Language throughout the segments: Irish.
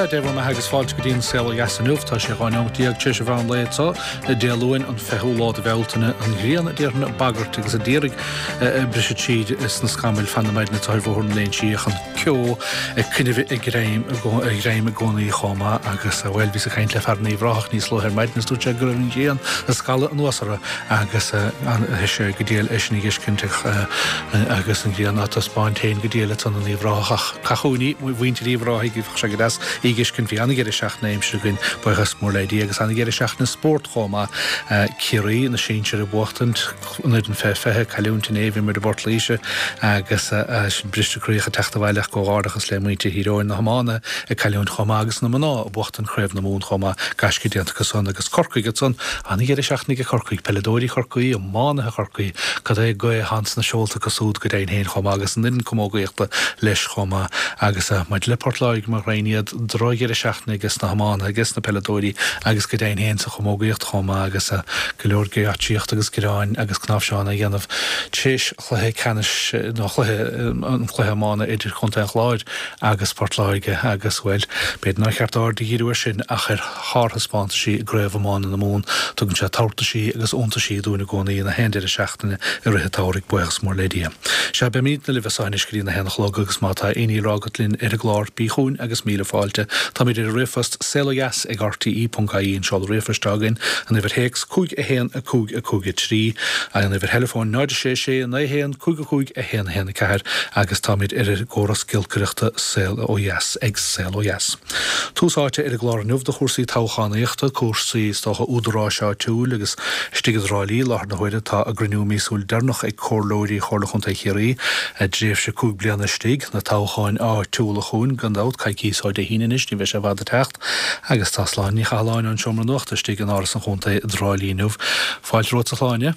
Sea, Dé bhur mbeatha agus fáilte go dtí an Saol Ó Dheas inniu. Tá sé 12 neomat tar éis an mheán lae anseo, Dé Luain, an 20ú lá de Bhealtaine. An ghrian, a déarfainn, ag bagairt agus a d'iarraidh briseadh tríd sna scamaill fan na maidine atá ar Bhóthar na Léinsí ach an ceo ag coinneáil a ghreim a ghreim i gcónaí chomh maith agus, bhuel, bhíos ag caint le fear in Uíbh Ráthach níos luaithe ar maidin is dúirt sé go raibh an ghrian ag scalladh anuas orthu agus tá sé go diail é sin a dh'fheiscint agus an ghrian á taispeáint féin go diail ansan in Uíbh Ráthach ach caith chugainn í, muintir Uíbh Ráthaigh, bheadh sé go deas í a dh'fheiscint. Bhí an-dheireadh seachtaine aimsire againn, buíochas mór le Dia, agus an-dheireadh seachtaine spóirt chomh maith. Ciarraí, na sinsir ag buachtaint. An fhoireann fé 20, cailliúint inné, bhí muid i bPort Laoise agus sin bristeadh croí ag teacht abhaile ach comhghairdeachas le muintir Thír Eoghain, na hiománaithe ag cailliúint chomh maith agus na mná ag buachtaint Craobh na Mumhan chomh maith, gaisce déanta acu san agus Corcaigh ansan, an-dheireadh seachtaine ag Corcaigh, peileadóirí Chorcaí, iománaithe Chorcaí, cad é gaoth atá sna seolta acu súd go deimhin féin chomh maith agus an fhoireann camógaíochta leis chomh maith agus maidir le Port Láirge, mo ghreidhn iad, drochdheireadh seachtaine ages na hiománaithe ages na peileadóirí agus go deimhin féin sa chamógaíocht chomh maith agus go leor geáitsíocht agus gearáin agus cnáimhseáin á dhéanamh tréis chluiche ceannais nó chluiche an chluiche iomána idir Chontae an Chláir agus Port Láirge agus, bhuel, b'fhéidir nár cheart aird a dhíriú air sin ach ar shárthaispeántaisí i gCraobh Iomána na Mumhan. Tugann sé tabhartaisí agus iontaisí dúinn i gcónaí na haon deireadh seachtaine i rith an tsamhraidh, buíochas mór le Dia. Sea, beimidne libh as seo anois go dtí na haon a chlog agus má tá aon ní le rá agat linn ar an gclár, bí chugainn agus míle fáilte. Táimid ar an ríomhphost, saolodheas ag rte.ie an seoladh ríomhphoist atá againn, an uimhir théacs, 5 1 5 5 3, an uimhir theileafóin, 0 6 6 9 1 5 5 1 1 4 agus táimid ar an gcóras giolcaireachta Saol Ó Dheas ag Saol Ó Dheas. Tús áite ar an gclár inniu do chúrsaí toghchánaíochta, cúrsaí, is dócha, údaráis áitiúil agus istigh i dTrá Lí i láthair na huaire tá a gcruinniú míosúil deireanach ag Comhairleoirí Chomhairle Chontae Chiarraí, a dtréimhse 5 bliana istigh, na toghcháin áitiúla chugainn gan dabht, coicíos ó Dé hAoine anois, ní bheidh sé i bhfad ag teacht, agus tá Sláine Ní Chathalláin ón Seomra Nuachta istigh in Áras an Chontae i dTrá Lí inniu. Fáilte romhat a Shláine.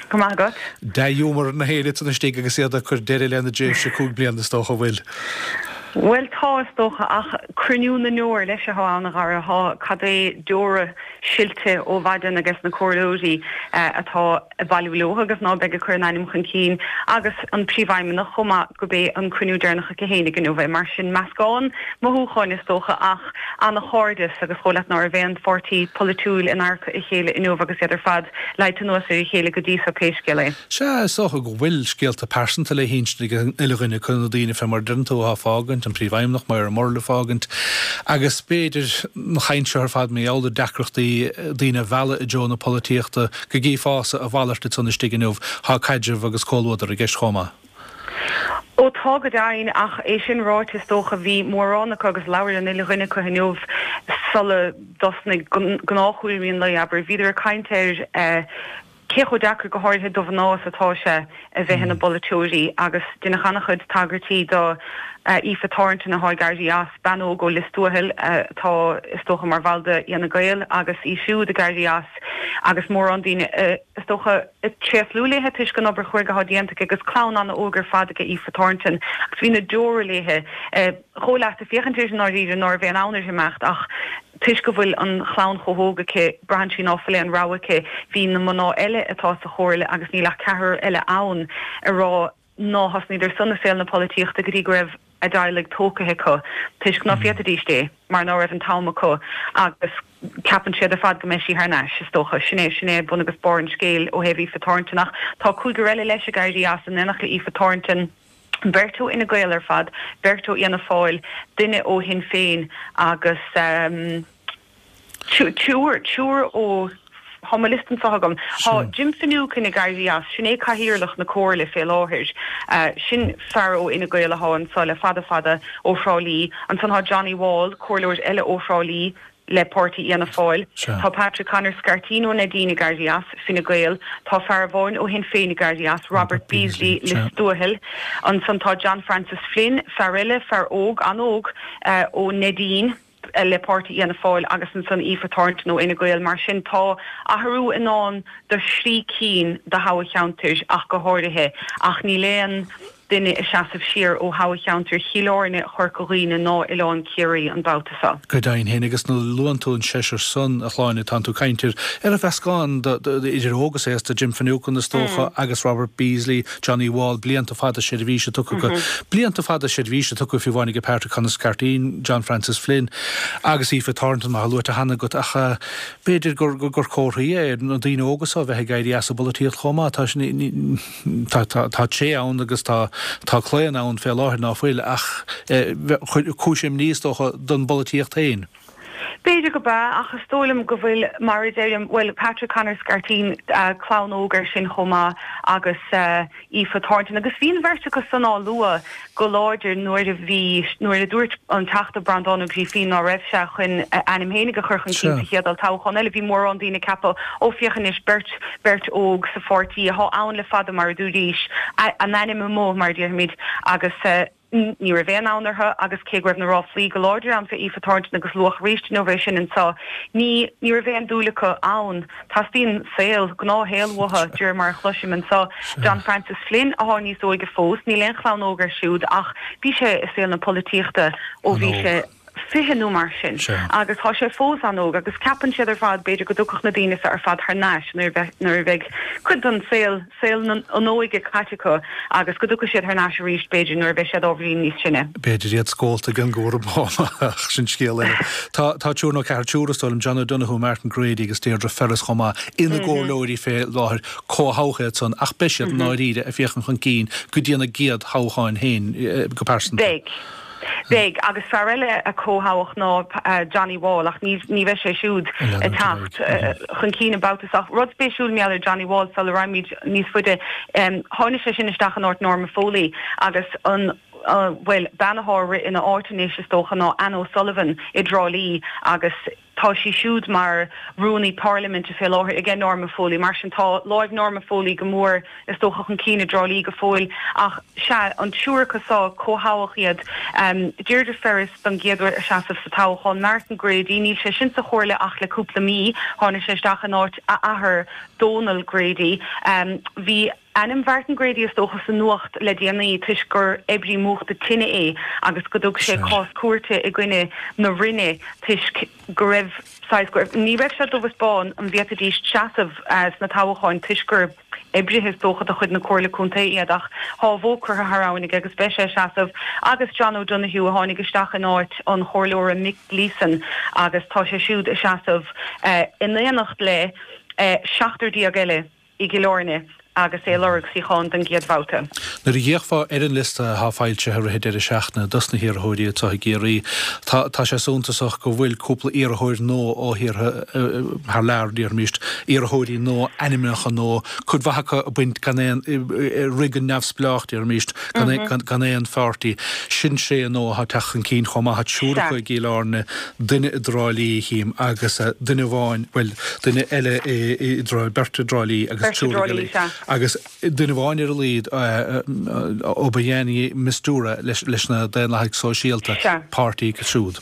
Go maith agat. Dea-ghiúmar ar na héinne ansan istigh agus iad ag cur deireadh lena dtréimhse 5 bliana is dócha, an bhfuil? Bhuel tá, is dócha, ach cruinniú na ndeor leis atá ann, a Dhara. Tá cad é deora silte ó mhaidin ages na comhairleoirí atá ag bailiú leo agus ná beidh ag cur a n-ainm chun cinn agus an príomhfheidhmeannach chomh maith go b'é an cruinniú deireanach aici fhéinig inniu é. Mar sin, meascán mothúcháin is dócha ach ana-chairdeas agus dhóigh leat ná raibh aon pháirtí polaitiúil in adharca a chéile inniu agus iad ar fad leáite anuas ar a chéile go dtí so pé scéal é. Sea, is dócha go bhfuil scéalta pearsanta le hinsint ag an uile dhuine acu, na daoine fé mar a deireann tú atá ag fágaint, an Príomhfheidhmeannach, Moira Murrell ag fágaint, agus b'fhéidir an chaint seo ar fad mar gheall ar deacrachtaí daoine a mhealladh i dtreo na polaitíochta, go gcífeása a mhalairt ansan istigh inniu, tá caidreamh agus comhluadar i gceist chomh maith. Ó tá go deimhin, ach é sin ráite is dócha bhí mórán acu agus labhair an uile dhuine acu inniu sula dtosnaigh gnáthchúraimí an lae, abair. Bhíodar ag caint ar cé chomh deacair, go háirithe do mhná, is atá sé a bheith ina bpolaiteoirí agus deineadh an-chuid tagairtí do Aoife Thornton atá ag éirí as, bean óg ó Lios Tuathail atá is dócha mar bhall de Fhine Gael agus í siúd ag éirí as agus mórán daoine is dócha ag tréaslú léithe toisc an obair chruaidh atá déanta aici agus clann an-óg ar fad aici Aoife Thornton agus bhí na deora léithe. Dhóigh leat ag féachaint uirthi i ndáiríre ná raibh aon fhonn uirthi imeacht ach toisc go bhfuil an chlann chomh hóg aici braitheann sí ná fuil aon rogha aici. Bhí na mná eile atá sa chomhairle agus níl ach ceathrar eile ann ag rá ná thosnaíodar san i saol na polaitíochta go dtí go raibh a dteaghlaigh tógtha acu toisc ná féadfaidíst é mar ná raibh an t-am acu agus ceapann siad ar fad go mbeidh sí thar n-ais, is dócha. Sin é, sin é bun agus barr an scéil ó thaobh Aoife Thornton. Ach tá cúigear eile leis ag éirí as in éineacht le Aoife Thornton, beirt ó Fhine Gael ar fad, beirt ó Fhianna Fáil, duine ó Shinn Féin agus. Triúr, triúr ó, tá mo liosta anseo agam. Tá Jim Finucane ag éirí as, sin é cathaoirleach na Comhairle fé láthair. Sin fear ó Fhine Gael athá anseo le fada fada ó Thrá Lí. Ansan tá Johnny Wall, comhairleoir eile ó Thrá Lí le páirtí Fhianna Fáil. Tá Patrick Connor Scairtín ó Neidín ag éirí as, Fine Gael. Tá fear amháin ó Shinn Féin ag éirí as, Robert Beasley, Lios Tuathail. Ansan tá John Francis Flynn, fear eile, fear óg, an-óg, ó Neidín. le páirtí Fhianna Fáil agus ansan Aoife Thornton ó Fhine Gael. Mar sin tá athrú i ndán do thrí cinn de thoghcheantair ach go háirithe ach níl aon. duine ag seasamh siar ó thoghcheantar Chill Airne, Chorca Dhuibhne ná Oileán Ciarraí an babhta seo. Go deimhin féin, agus nuair a luann tú an seisear san, a Shláine, tánn tú ag caint ar ar mheascán idir óg is aosta, Jim Finucane is dócha agus Robert Beasley, Johnny Wall, blianta fada seirbhíse tugtha acu, blianta fada seirbhíse tugtha fiú amháin ag Patrick Connor Scarteen, John Francis Flynn agus Aoife Thornton mar atá luaite cheana agat ach b'fhéidir gur gur comharthaí é na daoine óga seo a bheith ag éirí as an bpolaitíocht chomh maith. Tá tá tá tá tréith ann agus tá tá claonadh ann fé láthair ná fuil ach cúis imní is dócha don bpolaitíocht féin. B'fhéidir go b'ea, ach is dóigh liom go bhfuil, mar a deirim, bhuel, Patrick Connor Scarteen, clann óg air sin chomh maith, agus Aoife Thornton. Agus bhí an bheirt acu san á lua go láidir nuair a bhí, nuair a dúirt an Teachta Breandán Ó Grífín ná raibh sé chun a ainm fhéinig a chur chun cinn sa chéad olltoghchán eile. Bhí mórán daoine ag ceapadh, ó féach anois, beirt, beirt óg sa pháirtí athá ann le fada, mar a dúraís, a n-ainm amuigh, mar a déarfaimid, agus. Ní raibh aon fhonn orthu agus cé go raibh na ráflaí go láidir ann fé Aoife Thornton agus luadh arís inniu é sin anseo, ní ní raibh aon dúil acu ann. Teastaíonn saol, gnáthshaol uathu, de réir mar a chloisim anseo. John Francis Flynn athá níos óige fós, níl aon chlann óg air siúd ach bhí sé i saol na polaitíochta ó bhí sé 20 nó mar sin agus tá sé fós an-óg agus ceapann siad ar fad b'fhéidir go dtiocfadh na daoine seo ar fad thar n-ais nuair a nuair a bheidh cuid den saol, saol an óige caite acu agus go dtiocfaidh siad thar n-ais arís b'fhéidir nuair a bheidh siad ábhairín níos sine. B'fhéidir iad scólta ag an gcúram ach sin scéal eile. Tá tá triúr nó ceathrar, triúr is dóigh liom, John O'Donoghue, Martin Grady agus Deirdre Ferris chomh maith ina gcomhairleoirí fé láthair, comhthoghadh iad san ach beidh siad i ndáiríre ag féachaint chun cinn go dtí ina gcéad thoghcháin féin go pearsanta. Beidh. Beidh, agus fear eile a comhthoghadh ná Johnny Wall, ach ní bheidh sé siúd ag teacht chun cinn an babhta seo. Rud spéisiúil mar gheall ar Johnny Wall sula raghaimid níos faide, tháinig sé sin isteach in áit Norma Foley agus an, bhuel, bean athá ag rith ina áit anois is dócha ná Anne O'Sullivan i dTrá Lí agus tá sí siúd mar Rúnaí Parlaiminte fé láthair aige Norma Foley. Mar sin tá láimh Norma Foley go mór is dócha chun cinn i dTrá Lí go fóill. Ach sea, an triúr acu seo, comhthoghadh iad. Deirdre Ferris don gcéad uair ag seasamh sa toghchán. Martin Grady, níl sé sin sa chomhairle ach le cúpla mí. Tháinig sé isteach in áit a athar Dónal Grady. Bhí ainm Mhartin Grady is dócha sa nuacht le déanaí toisc gur oibrí múchta tine é agus go dtug sé cás cúirte i gcoinne na Roinne toisc go raibh saghas, go raibh, ní raibh sé dubh is bán an bhféadfaidís seasamh sna toghcháin toisc gur oibrithe is dócha de chuid na Comhairle Contae iad ach thá a bhó curtha thar abhainn aige agus beidh sé ag seasamh agus John O'Donoghue a tháinig isteach in áit an Chomhairleora Mick Gleeson agus tá sé siúd ag seasamh in éineacht le 17 eile. i gCill Airne agus é ag lorg suíochán don gcéad bhabhta. Nuair a d'fhéachfá ar an liosta atá foilsithe i rith an deireadh seachtaine dos na hiarrthóirí atá i gCiarraí, tá tá sé suntasach go bhfuil cúpla iarrthóir nua ó thíortha thar lear, déarfaimis, iarrthóirí nua, ainmneacha nua, cuid mhaith acu ag baint gan aon, ag rith go neamhspleách, déarfaimis, gan aon gan aon pháirtí. Sin tréith nua atá ag teacht chun cinn chomh maith, tá triúr acu i gCill Airne, duine i dTrá Lí, chím, agus duine amháin, bhuel, duine eile i dTrá, beirt i dTrá Lí agus triúr i gCill Airne. Agus duine amháin ar a laghad, Obayani Mistura leis na Daonlathaigh Sóisialta, páirtí acu siúd.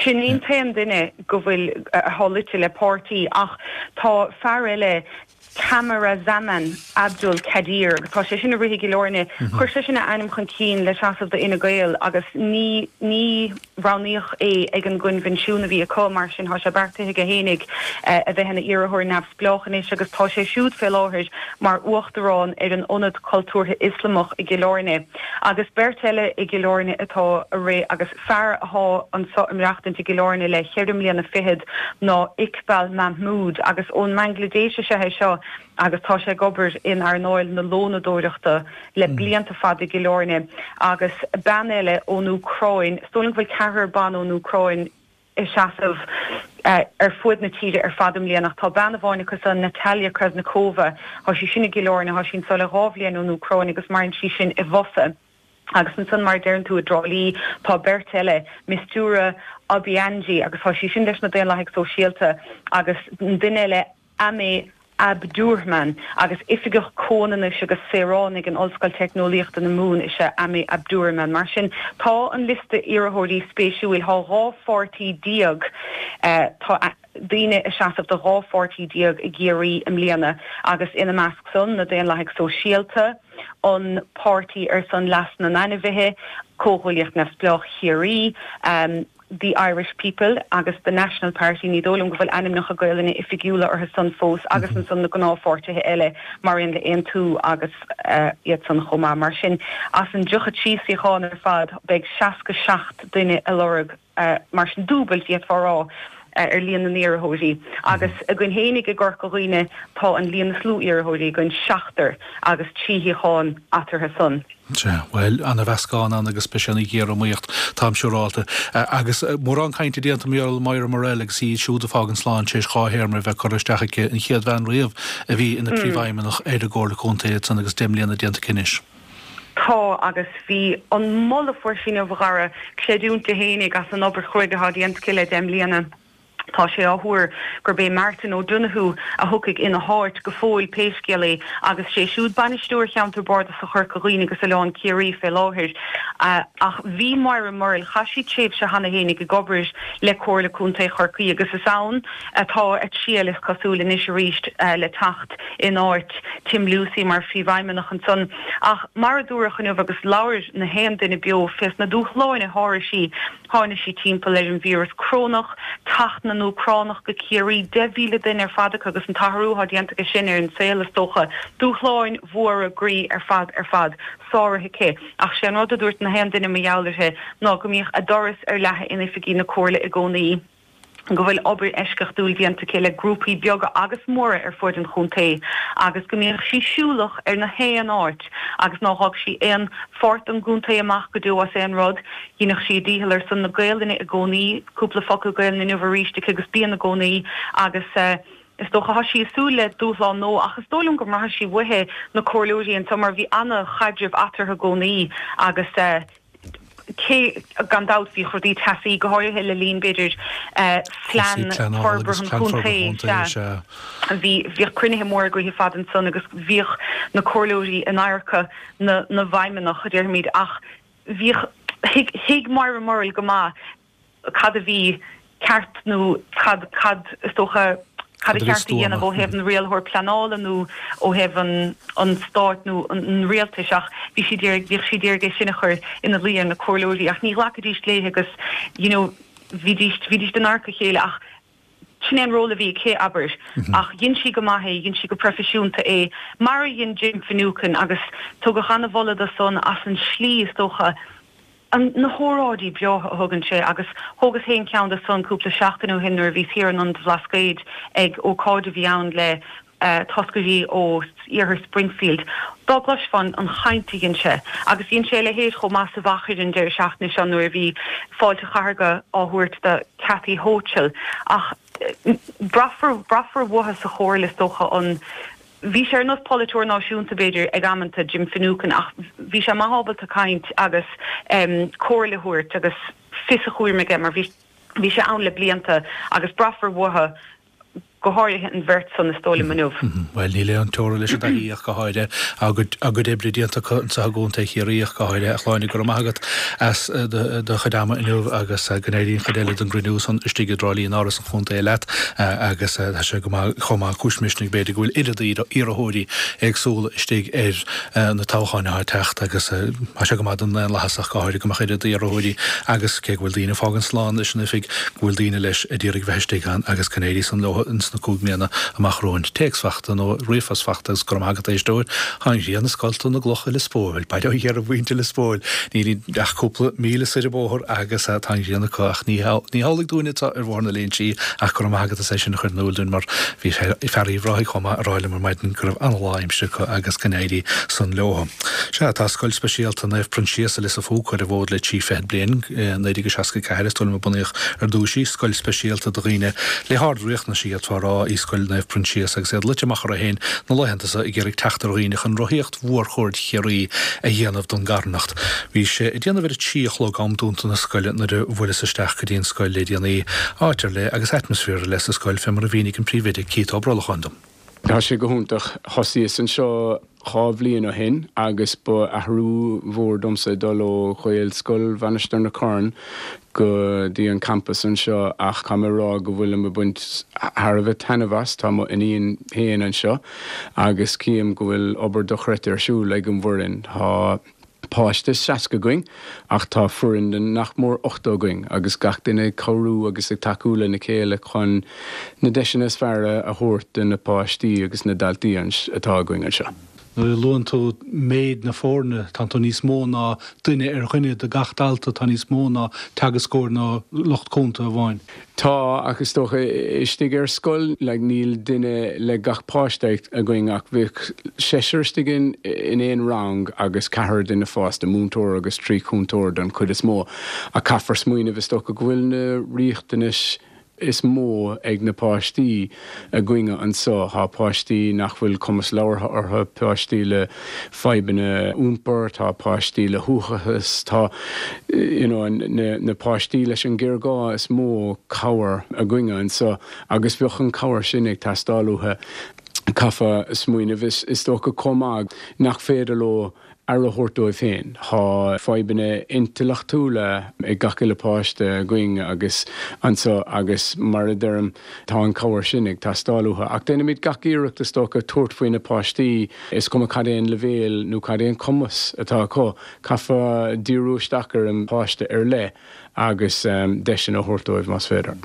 Sin í an t-aon duine go bhfuil, atá luite le páirtí ach tá fear eile, Kamarazaman Abdul Kadir, agus tá sé sin ag rith i gCill Airne. Chuir sé sin a ainm chun cinn le seasamh do Fhine Gael agus ní ní roghnaíodh é ag an gcoinbhinsiún a bhí acu, mar sin tá sé beartaithe aige fhéinig a bheith ina iarrthóir neamhspleách anois agus tá sé siúd fé láthair mar uachtarán ar an Ionad Cultúrtha Ioslamach i gCill Airne. Agus beirt eile i gCill Airne atá ag rith agus fear athá anso ag maireachtaint i gCill Airne le cheithre mbliana fichead ná Iqbal Mahmood agus ón mBanglaidéis is ea é seo agus tá sé ag obair in earnáil na lónadóireachta le blianta fada i gCill Airne agus bean eile ón Úcráin, is dóigh liom go bhfuil ceathrar ban ón Úcráin ag seasamh ar fuaid na tíre ar fad i mbliana ach tá bean amháin acu san, Natalia Krasnikova, tá sí sin i gCill Airne, tá sí anso le dhá bhliain ón Úcráin agus maireann sí sin i bhFosa. Agus ansan, mar a deireann tú, i dTrá Lí, tá beirt eile, Mistura Obianji, agus tá sí sin leis na Daonlathaigh Sóisialta, agus an duine eile, Ame Abdurhman, agus Oifigeach Comhionannais agus Saoránaigh in Ollscoil Teicneolaíochta na Mumhan is ea Ame Abdurhman. Mar sin, tá an liosta iarrthóirí spéisiúil. Tá 12 pháirtí, tá. daoine ag seasamh do 12 pháirtí i gCiarraí i mbliana agus ina measc san, na Daonlathaigh Sóisialta, an Páirtí ar son Leas na nAinmhithe, Comhghuaillíocht Neamhspleách Chiarraí, The Irish People agus The National Party, ní dóigh liom go bhfuil ainmneacha Gaelainne oifigiúla orthu san fós, agus ansan na gnáthpháirtithe eile mar aon le Aontú agus iad san chomh maith. Mar sin, as an 33 suíochán ar fad, beidh 67 duine ag lorg, mar sin, dúbailt, d'fhéadfá a rá, ar líon na n-iarrthóirí. Agus againn fhéinig i gCorca Dhuibhne tá an líon is lú iarrthóirí againn, seachtar, agus trí shuíochán eatarthu san. Sea, bhuel, ana-mheascán ann agus beidh sé ina ghéar-iomaíocht, táim siúrálta. Agus mórán cainte déanta mar gheall ar Moira Murrell agus í siúd ag fágaint slán tar éis dhá théarma a bheith curtha isteach aici, an chéad bhean riamh a bhí ina príomhfheidhmeannach ar an gComhairle Contae ansan agus 10 mbliana déanta aici anois. Tá, agus bhí an moladh a fuair sí inniu, a Dhara, creidiúint di fhéinig as an obair chruaidh atá déanta aici le 10 mbliana. Tá sé á thuar gurb é Martin O'Donoghue a thiocfaidh ina háit go fóill pé scéal é agus sé siúd bainisteoir Cheantar Bardasach Chorca Dhuibhne agus Oileán Ciarraí fé láthair. Ach bhí Moira Murrell, chaith sí tréimhse cheana fhéinig ag obair le Comhairle Contae Chorcaí agus is ann atá a triall is cosúil anois arís le teacht in áit Tim Lucey mar phríomhfheidhmeannach ansan. Ach mar a dúradh inniu agus labhair na haon duine beo fés na dúshláin a sháraigh sí, tháinig sí timpeall ar an víreas corónach, teacht na nÚcránach go Ciarraí, 10,000 duine ar fad acu agus an t-athrú atá déanta aige sin ar an saol is dócha. Dúshláin mhóra groí ar fad ar fad sáraithe aici. Ach sé an rud a dúirt na haon duine mar gheall uirthi ná go mbíodh a doras ar leathadh in oifigí na Comhairle i gcónaí. go bhfuil obair eisceachtúil déanta aici le grúpaí beaga agus móra ar fuaid an chontae agus go mbíodh sí siúlach ar na haon áit agus nár dh'fhág sí aon pháirt den gcontae amach go deo as aon rud. Dheineadh sí a dícheall ar son na Gaelainne i gcónaí, cúpla focal Gaelainne inniu arís aici agus bíonn i gcónaí agus is dócha tá sí ag súil le dúshlán nua ach is dóigh liom go mbraithfidh sí uaithi na comhairleoirí anseo mar bhí ana-chaidreamh eatarthu i gcónaí agus cé, gan dabht, bhíodh rudaí teasaí, go háirithe le linn, b'fhéidir, phlean forbartha an chontae, sea. Bhí, bhíodh cruinnithe móra agaithe fad ansan agus bhíodh na comhairleoirí in adharca na, na bhfeidhmeannach, a déarfaimid, ach bhíodh, thuig, thuig Moira Murrell go maith cad a bhí ceart nó cad, cad, is dócha, cad a cheart a dhéanamh ó thaobh an rialaitheoir pleanála nó ó thaobh an, an stáit nó an rialtais ach bhí sí d'iarraidh, bhíodh sí d'iarraidh é sin a chur ina luí ar na comhairleoirí ach ní ghlacfaidís léi agus you know bhídís, bhídís in adharca a chéile ach sin é an ról a bhí aici, abair. Ach dhein sí go maith é, dhein sí go proifisiúnta é, mar a dhein Jim Finucane agus tugadh an-mholadh dó san as an slí, is dócha, an, na hóráidí breátha a thugann sé agus thógas féin ceann de san cúpla seachtain ó shin nuair a bhíos thiar in Ionad an Bhlascaoid ag ócáid a bhí ann le toscairí ó iarthar Springfield. Dá gcloisfeá an chaint a dhein sé. Agus dhein sé a leithéid chomh maith sa Mhachaire an deireadh seachtaine seo nuair a bhí fáilte chathartha á thabhairt do Kathy Hochul. Ach braithfear, braithfear uathu sa chomhairle is dócha an, Bhí sé ar nós polaiteoir náisiúnta, b'fhéidir, ag amanta, Jim Finucane, ach bhí sé maith ábalta caint agus comhairle a thabhairt agus fios a chúraim aige mar bhí bhí sé ann le blianta agus braithfear uathu, go háirithe an bheirt san, is dóigh liom, inniu. Bhuel, níl aon teora leis an dtaithí ach go háirithe, a gcuid oibre déanta acu anseo i gContae Chiarraí ach go háirithe. A Shláine, go raibh maith agat as do chuid ama inniu agus go n-éirí an chuid eile den gcruinniú san istigh i dTrá Lí in Áras an Chontae leat agus tá sé go maith, chomh maith, cúis misnigh b'fhéidir go bhfuil oiread iarrthóirí éagsúla istigh ar na toghcháin atá ag teacht agus tá sé go maith don ndaonlathas ach go háirithe go mbeadh oiread iarrthóirí agus cé go bhfuil daoine ag fágaint slán leis an oifig go bhfuil daoine leis a d'iarraidh bheith istigh ann agus go n-éirí san leo ins na 5 mbliana amach romhainn. Téacs fachta nó ríomhphost fachta agus go raibh maith agat a éisteoir. Tá an ghrian ag scoilteadh na gcloch i Lios Póil, baile ó dheireadh mhuintir Lios Póil. Níl ach cúpla míle soir an bóthar agus tá an ghrian acu ach ní hamhlaidh dúinne atá ar Bhóthar na Léinsí ach go raibh maith agat as é sin a chur in iúl dúinn mar bhí fear Uíbh Ráthaigh chomh maith ag rá liom ar maidin go raibh an-lá aimsire acu agus go n-éirí san leo. Sea, tá Scoil Speisialta Naomh Proinsias i Lios a' Phúca ar an bhfód le trí fichid bliain. I 1964 is dóigh liom a bunaíodh ar dtús í, scoil speisialta do dhaoine le hard-riachtanais d'fhéadfá a rá í Scoil Naomh Proinsias agus iad luite amach orthu féin na laethanta so ag iarraidh teacht ar dhaoine chun rothaíocht mhórchuaird Chiarraí a dhéanamh don gcarthanacht. Bhí sé ag déanamh ar a trí a chlog, am dúnta na scoile, nuair a bhuaileas isteach go dtí an scoil le déanaí. Áit ar leith agus atmaisféar ar leith sa scoil fé mar a mhínigh an príomhoide Keith Ó Brolacháin dom. Tá sé go hiontach. Thosaíos anseo 2 bhliain ó shin agus ba athrú mhór domsa dul ó Ghaelscoil Mhainistir na Corn go dtí an campas anseo ach caithfidh mé a rá go bhfuilim ag baint thar a bheith taitneamh as. Tá mo iníon féin anseo agus cím go bhfuil obair dochreidte ar siúl ag an bhfoireann. Tá páiste 60 againn ach tá foireann de nach mór 80 againn agus gach duine ag cabhrú agus ag tacú lena chéile chun na deiseanna is fearr a thabhairt do na páistí agus na daltaí atá againn anseo. Nuair a luann tú méid na foirne, tá tú níos mó ná duine ar dhuine do gach dalta, tá níos mó ná teagascóir nó lucht cúnta amháin. Tá, ach is dócha, istigh ar scoil, like, níl duine le gach páiste againn ach bheadh seisear istigh in in aon rang agus ceathrar duine fásta, múinteoir agus 3 chúntóir don chuid is mó. Ach caithfear smaoineamh, is dócha, go bhfuil na riachtanais is mó ag na páistí againne anso. Tá páistí nach bhfuil cumas labhartha orthu, páistí le fadhbanna iompair, tá páistí le huathachas, tá you know na páistí leis an géarghá is mó cabhair againne anso agus bheadh an cabhair sin ag teastáil uathu. Caithfear smaoineamh is dócha chomh maith nach féidir leo aire a thabhairt dóibh féin. Tá fadhbanna intleachtúla ag gach uile páiste againn agus anso agus mar a deirim tá an cabhair sin ag teastáil uathu. Ach déanaimid gach iarracht is dócha tabhairt faoi na páistí, is cuma cad é an leibhéal nó cad é an cumas atá acu, caithfear díriú isteach ar an bpáiste ar leith agus deiseanna a thabhairt dóibh más féidir.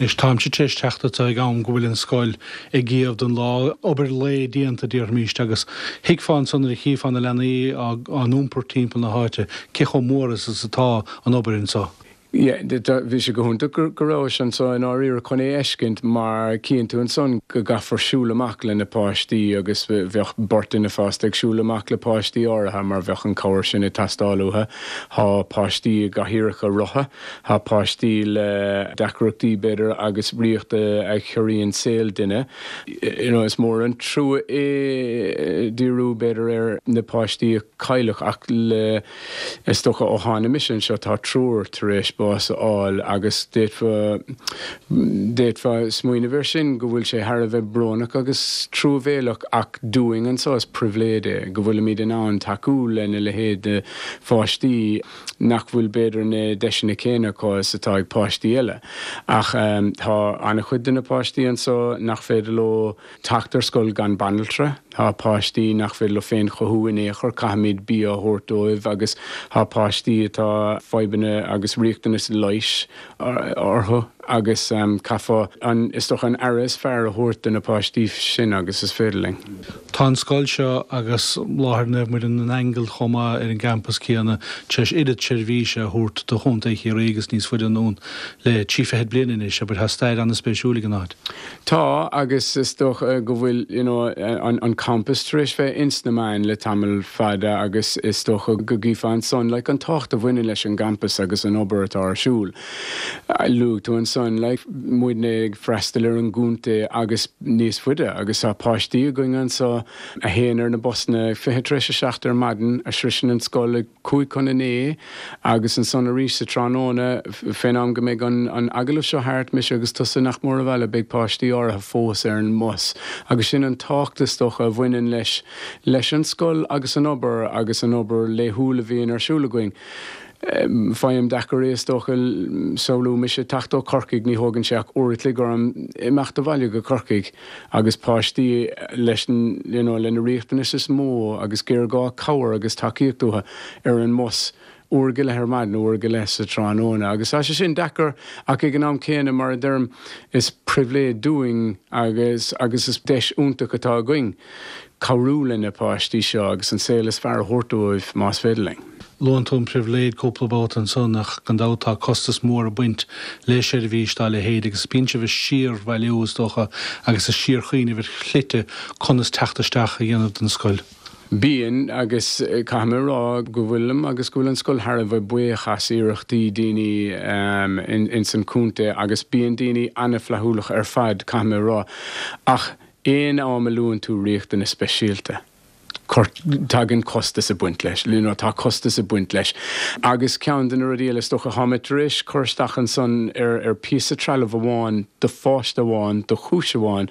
Anois, táimse tar éis teacht anseo ag am go bhfuil an scoil ag iamh don lá, obair lae déanta, déarfaimíst, agus thuigfeá ansan nuair a chífeá na leanaí á n-iompar timpeall na háite cé chomh mór is atá an obair anseo. Yeah, bhí sé go hiontach go rabhais anseo i ndáiríre chun é a fheiscint mar cíonn tú ansan go gcaithfear siúl amach le na páistí agus bheadh beirt duine fásta ag siúl amach le páistí áirithe mar bheadh an cabhair sin ag teastáil uathu. Tá páistí i gcathaoireacha rotha. Tá páistí le deacrachtaí, b'fhéidir, agus riocht a chiorraíonn saol duine. You know, is mór an trua é díriú, b'fhéidir, ar na páistí a cailleadh ach le, is dócha, ó tháinig mise anseo tá triúr tar éis bás a fháil agus d'fhéadfá, d'fhéadfá smaoineamh air sin go bhfuil sé thar a bheith brónach agus truamhéalach ach dúinn anseo is pribhléid é go bhfuilimid in ann tacú lena leithéid de pháistí. nach bhfuil b'fhéidir na deiseanna céanna acu is atá ag páistí eile. Ach tá an-chuid de na páistí anso nach féidir leo teacht ar scoil gan banaltra, tá páistí nach féidir leo féin chothú in aon chor, caithfimid bia a thabhairt dóibh agus tá páistí atá fadhbanna agus riachtanas leighis orthu agus caithfear an, is dócha, an aire is fearr a thabhairt do na páistí sin agus is féidir linn. Tá an scoil seo agus láthair Naomh Muire na nAingeal chomh maith ar an gcampas céanna tar éis oiread seirbhíse a thabhairt do Chontae Chiarraí agus níos faide anonn le trí fichid bliain anois, abair. Tá stair an-spéisiúil ag an áit. Tá, agus is dócha go bhfuil, you know, an campas tar éis bheith ins na meáin le tamall fada agus is dócha go gcífeá ansan, like, an tábhacht a bhaineann leis an gcampas agus an obair atá ar siúl. Luaigh tú ansan, like, muidne ag freastal ar an gcontae agus níos faide agus tá páistí againn anso a théann ar na busanna ag 7:20 tar éis ar maidin, a sroiseann an scoil ag 8:55 agus ansan arís sa tráthnóna, fén am go mbeidh an agallamh seo thart, mise agus tusa nach mór abhaile, beidh páistí áirithe fós ar an mbus agus sin an tábhacht is dócha a bhaineann leis leis an scoil agus an obair agus an obair laethúil a bhíonn ar siúl againn. Faighim deacair é is dócha samhlú mise ag teacht ó Chorcaigh, ní thógann sé ach uair a chloig orm imeacht abhaile go Corcaigh agus páistí leis you know le na riachtanais is mó agus géarghá cabhair agus tacaíocht uathu ar an mbus uair go leith ar maidin, uair go leith sa tráthnóna agus tá sé sin deacair ach ag an am céanna mar a deirim is pribhléid dúinn agus agus is deis iontach atá againn cabhrú le na páistí seo agus an saol is fearr a thabhairt dóibh más féidir linn. Luann tú an pribhléid cúpla babhta ansan ach gan dabht tá costas mór ag baint le seirbhís dá leithéid agus bíonn sibh ag síorbhailiú is dócha agus ag síorshuíneamh ar shlite conas teacht isteach a dhéanamh don scoil. Bíonn, agus caithfidh mé a rá go bhfuilim agus go bhfuil an scoil thar a bheith buíoch as iarrachtaí daoine ins an chontae agus bíonn daoine an-fhlaithiúlach ar fad, caithfidh mé a rá. Ach aon am a luann tú riachtanas speisialta. Tagann costas ag baint leis, you know, tá costas ag baint leis. Agus ceann de na rudaí eile is dócha, tá mé tar éis cur isteach ansan ar ar píosa trealaimh amháin do pháiste amháin, do chúis amháin,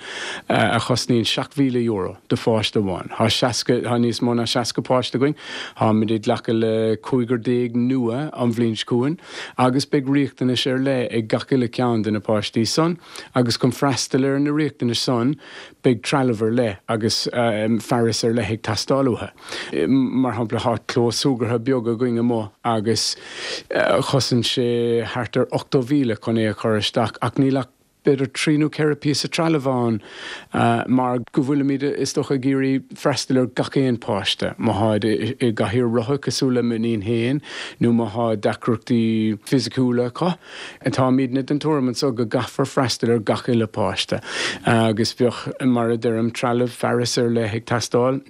a chosnaíonn €7,000 do pháiste amháin. Tá 60, tá níos mó ná 60 páiste againn, táimid ag glacadh le cúigear déag nua an bhliain seo chugainn agus beidh riachtanais ar leith ag gach uile ceann de na páistí san agus chun freastal ar na riachtanais san, Beidh trealamh ar leith agus fearas ar leith ag teastáil uathu. Mar shampla, tá clós súgartha beag againn amuigh agus chosain sé thart ar 80,000 chun é a chur isteach ach níl ach b'fhéidir trí nó ceithre píosa trealaimh ann mar go bhfuilimid, is dócha, ag iarraidh freastal ar gach aon páiste. Má tháid i gcathaoir rotha cosúil le m'iníon féin nó má thá deacrachtaí fisiciúla acu, Táimidne den tuairim anso go gcaithfear freastal ar gach uile páiste agus bheadh, mar a deirim, trealamh, fearas ar leith ag teastáil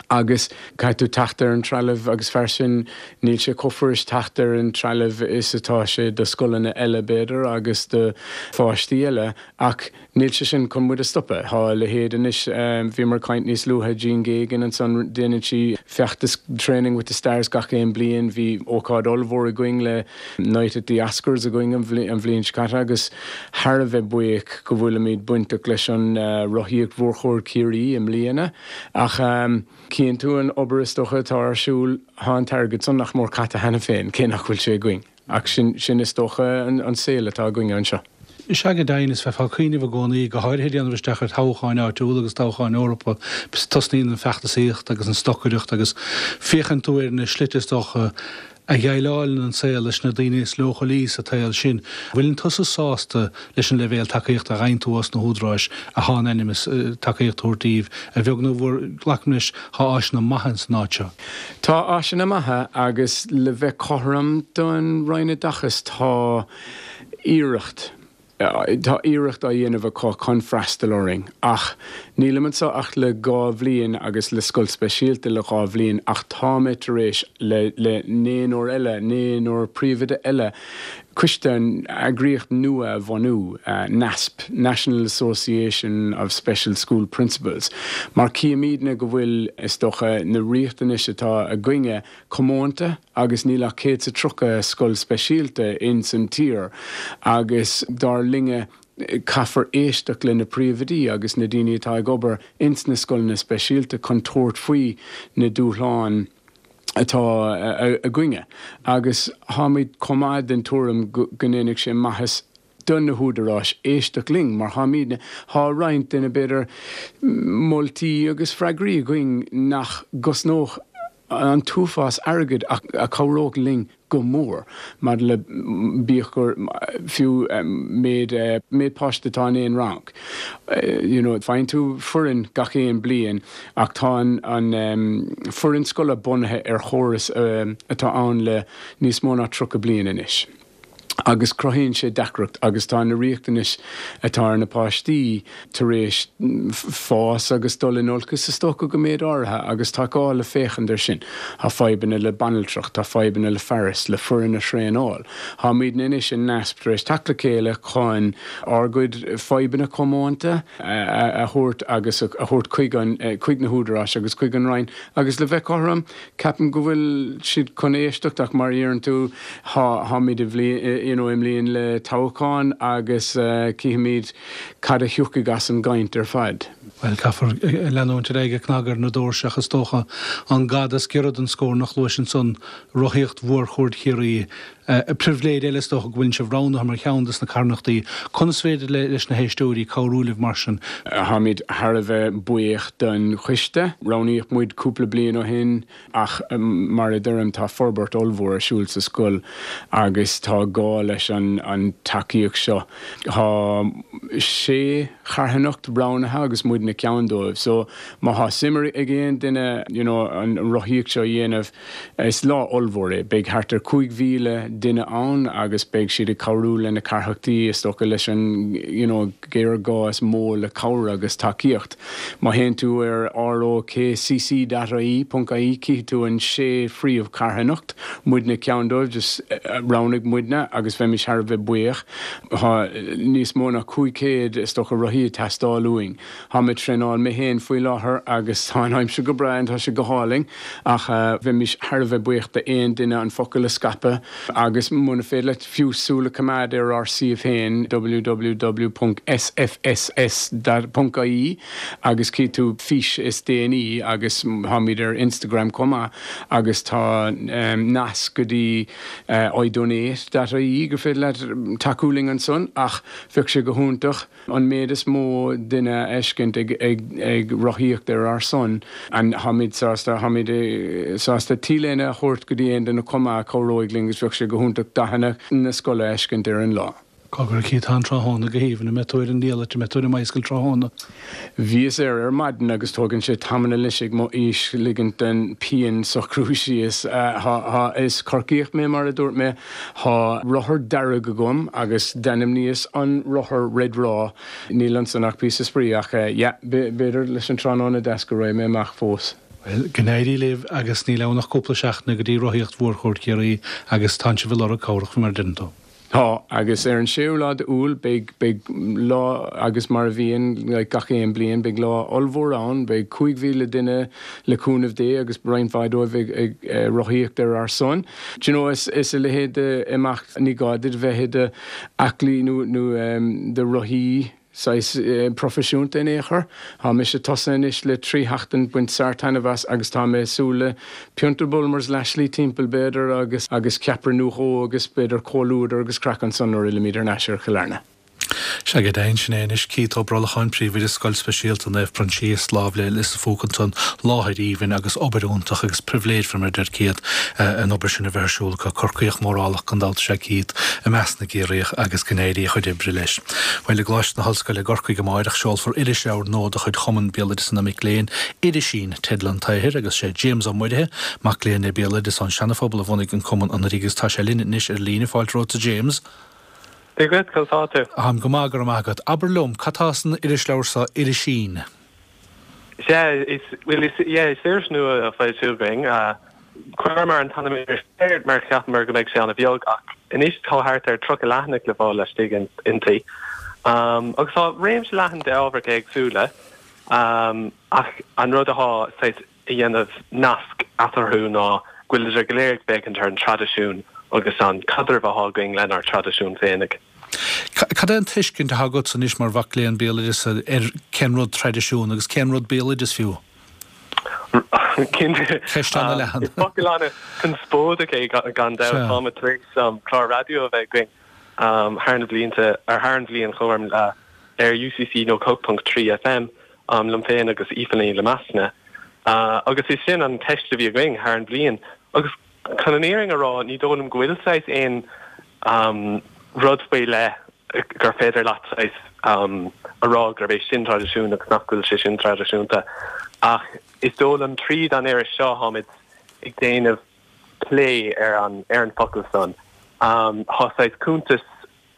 agus caithfidh tú teacht ar an trealamh agus fearas sin, níl sé chomh fuirist teacht ar an trealamh is atá sé do scoileanna eile b'fhéidir agus do pháistí eile ach Níl sé sin chun muid a stopadh. Tá a leithéid anois, bhíomar ag caint níos luaithe, Jean Geoghegan ansan, déanann sí feachtas Training with the Stars gach aon bliain. Bhí ócáid ollmhór againn le Night at the Oscars againn an bhliain seo caite agus thar a bheith buíoch go bhfuilimid bainteach leis an Rothaíocht Mhórchuaird Chiarraí i mbliana. Ach cíonn tú an obair is dócha atá ar siúl, tá an t-airgead san nach mór caite cheana féin, cé nach bhfuil sé againn. Ach sin, sin is dócha an saol atá againne anseo. Is ea go deimhin, is bheifeá ag cuimhneamh i gcónaí, go háirithe ag déanamh isteach ar thoghcháin áitiúla agus toghcháin Eorpacha, tosnaíonn an feachtasaíocht agus an stocaireacht agus féachann tú ar na slite is dócha a dhéileálann an saol leis na daoine is leochailí sa tsaol sin. Bhfuileann tusa sásta leis an leibhéal tacaíochta a fhaigheann tú ós na húdaráis atá in ainm is tacaíocht a thabhairt daoibh, a bheag nó a mhór, glacaim leis, tá áiseanna maithe ins an áit seo. Tá áiseanna maithe agus le bheith cothrom don Roinn Oideachais tá iarracht, tá iarracht á dhéanamh acu chun freastal orainn ach nílim anseo ach le dhá bhliain agus le scoil speisialta le dhá bhliain ach tá mé tar éis le le naonúr eile, naonúr príomhoide eile, coiste, eagraíocht nua a bhunú, NASP, National Association of Special School Principals, mar címidne go bhfuil, is dócha, na riachtanais atá againne comónta agus níl ach 130 scoil speisialta ins an tír agus dar linne caithfear éisteacht le na príomhoidí agus na daoine atá ag obair ins na scoileanna speisialta chun tabhairt faoi na dúshláin atá againne agus táimid chomh maith den tuairim go ndéanfadh sé maitheas do na húdaráis éisteacht linn mar táimidne, tá roinnt de na, b'fhéidir, moltaí agus freagraí againn nach gcosnódh an t-uafás airgid ach a chabhródh linn go mór maidir le, bíodh gur fiú méid, méid páiste atá in aon rang. You know, faigheann tú foireann gach aon bliain ach tá an, an foireann scoile bunaithe ar chóras atá ann le níos mó ná 30 bliain anois agus cruthaíonn sé deacracht agus tá na riachtanais atá ar na páistí tar éis fás agus dul in olcas is dócha go méid áirithe agus tá gá le féachaint ar sin. Tá fadhbanna le banaltracht, tá fadhbanna le fearas, le foireann a thraenáil. Táimidne anois in NASP tar éis teacht le chéile chun ár gcuid fadhbanna comónta a thabhairt agus a thabhairt chuig an, chuig na húdaráis agus chuig an Roinn agus le bheith cothrom, ceapaim go bhfuil siad chun éisteacht ach mar a deireann tú, táimid i bhliain, you know, i mbliain le toghchán agus cífimid cad a thiocfaidh as an gcaint ar fad. Bhuel, caithfear leanúint ar aghaidh ag cnagadh ar na doirse ach is dócha an gada is giorra don scornach, luais ansan Rothaíocht Mhórchuaird Chiarraí. Pribhléid eile is dócha go bhfuil sibh roghnaithe mar cheann des na carthanachtaí. Conas féidir leis na héisteoirí cabhrú libh mar sin? Táimid thar a bheith buíoch don choiste. Roghnaíodh muid cúpla bliain ó shin ach mar a deirim tá forbairt ollmhór ar siúl sa scoil agus tá gá leis an tacaíocht seo. Tá sé charthanacht roghnaithe agus muidne ceann dóibh so má thá suim ag aon duine you know an rothaíocht seo a dhéanamh Is lá ollmhór é. Beidh thart ar 5,000 duine ann agus beidh siad ag cabhrú le na carthanachtaí, is dócha, leis an you know géarghá is mó le cabhair agus tacaíocht. Má théann tú ar rokcc dot ie, ponc ie, cífidh tú an sé phríomhcharthanacht, muidne ceann dóibh, just roghnaigh muidne agus. agus bheimis thar a bheith buíoch. Tá níos mó ná 500, is dócha, rothaí ag teastáil uainn. Táim ag traenáil mé féin faoi láthair agus tá an aimsir go breá and tá sé go hálainn ach bheimis thar a bheith buíoch d'aon duine an focal a scaipeadh agus muna féidir leat fiú súil a choimeád ar ár suíomh féin www.sfss.ie agus cífidh tú fís is déanaí agus táimid ar Instagram chomh maith agus tá nasc go dtí idonate.ie gur féidir leat tacú linn ansan ach bheadh sé go hiontach an méid is mó duine a fheiscint ag rothaíocht ar ár son. And táimid sásta, táimid sásta T-léine a thabhairt go dtí aon duine chomh maith a chabhróidh linn agus bheadh sé go hiontach dathanna na scoile a fheiscint ar an lá. Cogar, Keith, tá an tráthnóna go haoibhinn, an mbeidh tú ar an diallait, an mbeidh tú ar an mbicycle tráthnóna? Bhíos air ar maidin agus tógann sé tamall anois ag mo aois ligint den pian socrú síos. Tá, is Corcaíoch mé mar a dúirt mé. Tá rothar dearg agam agus d'ainmníos an rothar Red Raw. Níl ansan ach píosa spraoi ach yeah, b'fhéidir leis an tráthnóna deas go raghaidh mé amach fós. Bhuel, go n-éirí libh agus níl ann ach cúpla seachtaine go dtí Rothaíocht Mhór Chuaird Chiarraí agus tánn sibh ag lorg cabhrach faoi mar a deireann tú. Tá, agus ar an séú lá d'Iúil beidh, beidh lá, agus mar a bhíonn like gach aon bliain, beidh lá ollmhór ann, beidh 5,000 duine le cúnamh Dé agus roinnt mhaith dóibh ag, ag rothaíocht ar ár son. Do you know, is, is a leithéid de imeacht, ní gá duit bheith i do aclaí nó, nó do rothaí, saghas proifisiúnta in aon chor. Tá mise tosaithe anois le 3 sheachtain, baint sár-taitneamh as agus tá mé ag súil le pionta Bulmers leathshlí timpeall b'fhéidir agus agus ceapaire nó dhó agus b'fhéidir comhluadar agus craic ansan nuair a fhillimid thar n-ais ar Chill Airne. Sea, go deimhin, sin é anois Keith Ó Brolcháin, Príomhoide Scoil Speisialta Naomh Proinsias, lámh le Lios a' Phúca ansan, láthair aoibhinn agus obair iontach agus pribhléid fé mar a deir Keith an obair sin a bheith ar siúl acu. Corcaíoch mórálach gan dabht is ea Keith i measc na gCiarraíoch agus go n-éirí a chuid oibre leis. Bhuel, i gColáiste na hOllscoile i gCorcaigh amáireach, seolfar irisleabhar nua de chuid Chumann Béaloideasa na Mic Léinn, Irisín, teideal an tsaothair, agus sé James Ó Muirithe, mac léinn le Béaloideas ón Seana-Phobal a bhunaigh an Cumann anuraidh agus tá sé linn anois ar líne. Fáilte romhat a James. Dia dhuit, conas tá tú? Táim go maith, go raibh maith agat. Abair liom, cad tá san irisleabhar seo, Irisín? Sea, is, bhuel, is, yeah, is iris nua á foilsiú againn. Chuireamar an t-ainm iris air mar cheapamar go mbeidh sé an-bheag ach anois tá thart ar 30 leathanach le fáil laistigh inti. Agus tá réimse leathan de ábhair éagsúla ach an rud atá saghas a dhéanamh nasc eatarthu ná go bhfuilidar go léir ag féachaint ar an traidisiún agus an caidreamh atá againn lenár dtraidisiún féinig. Cad é an tuiscint atá agatsa anois mar mhac léinn béaloideasa ar cén rud traidisiún agus cén rud béaloideas fiú? Cinnte. Ceist an-leathan. Is focal an-chonspóideach é gan dabht. Táimid tar éis clár raidió a bheith againn thar na blianta, ar thar an bhliain chomh ar UCC 98.3 FM liom féin agus Aoife Ní Lemaisna. Agus is sin an cheist a bhí againn thar an bhliain. Agus chun an fhírinne a rá, ní dóigh liom go bhfuil saghas aon rud faoi leith gur féidir leat saghas a rá gurb é sin traidisiún agus nach bhfuil sé sin traidisiúnta. Ach is dóigh liom tríd an iris seo táimid ag déanamh plé ar an ar an focal san. Tá saghas cuntas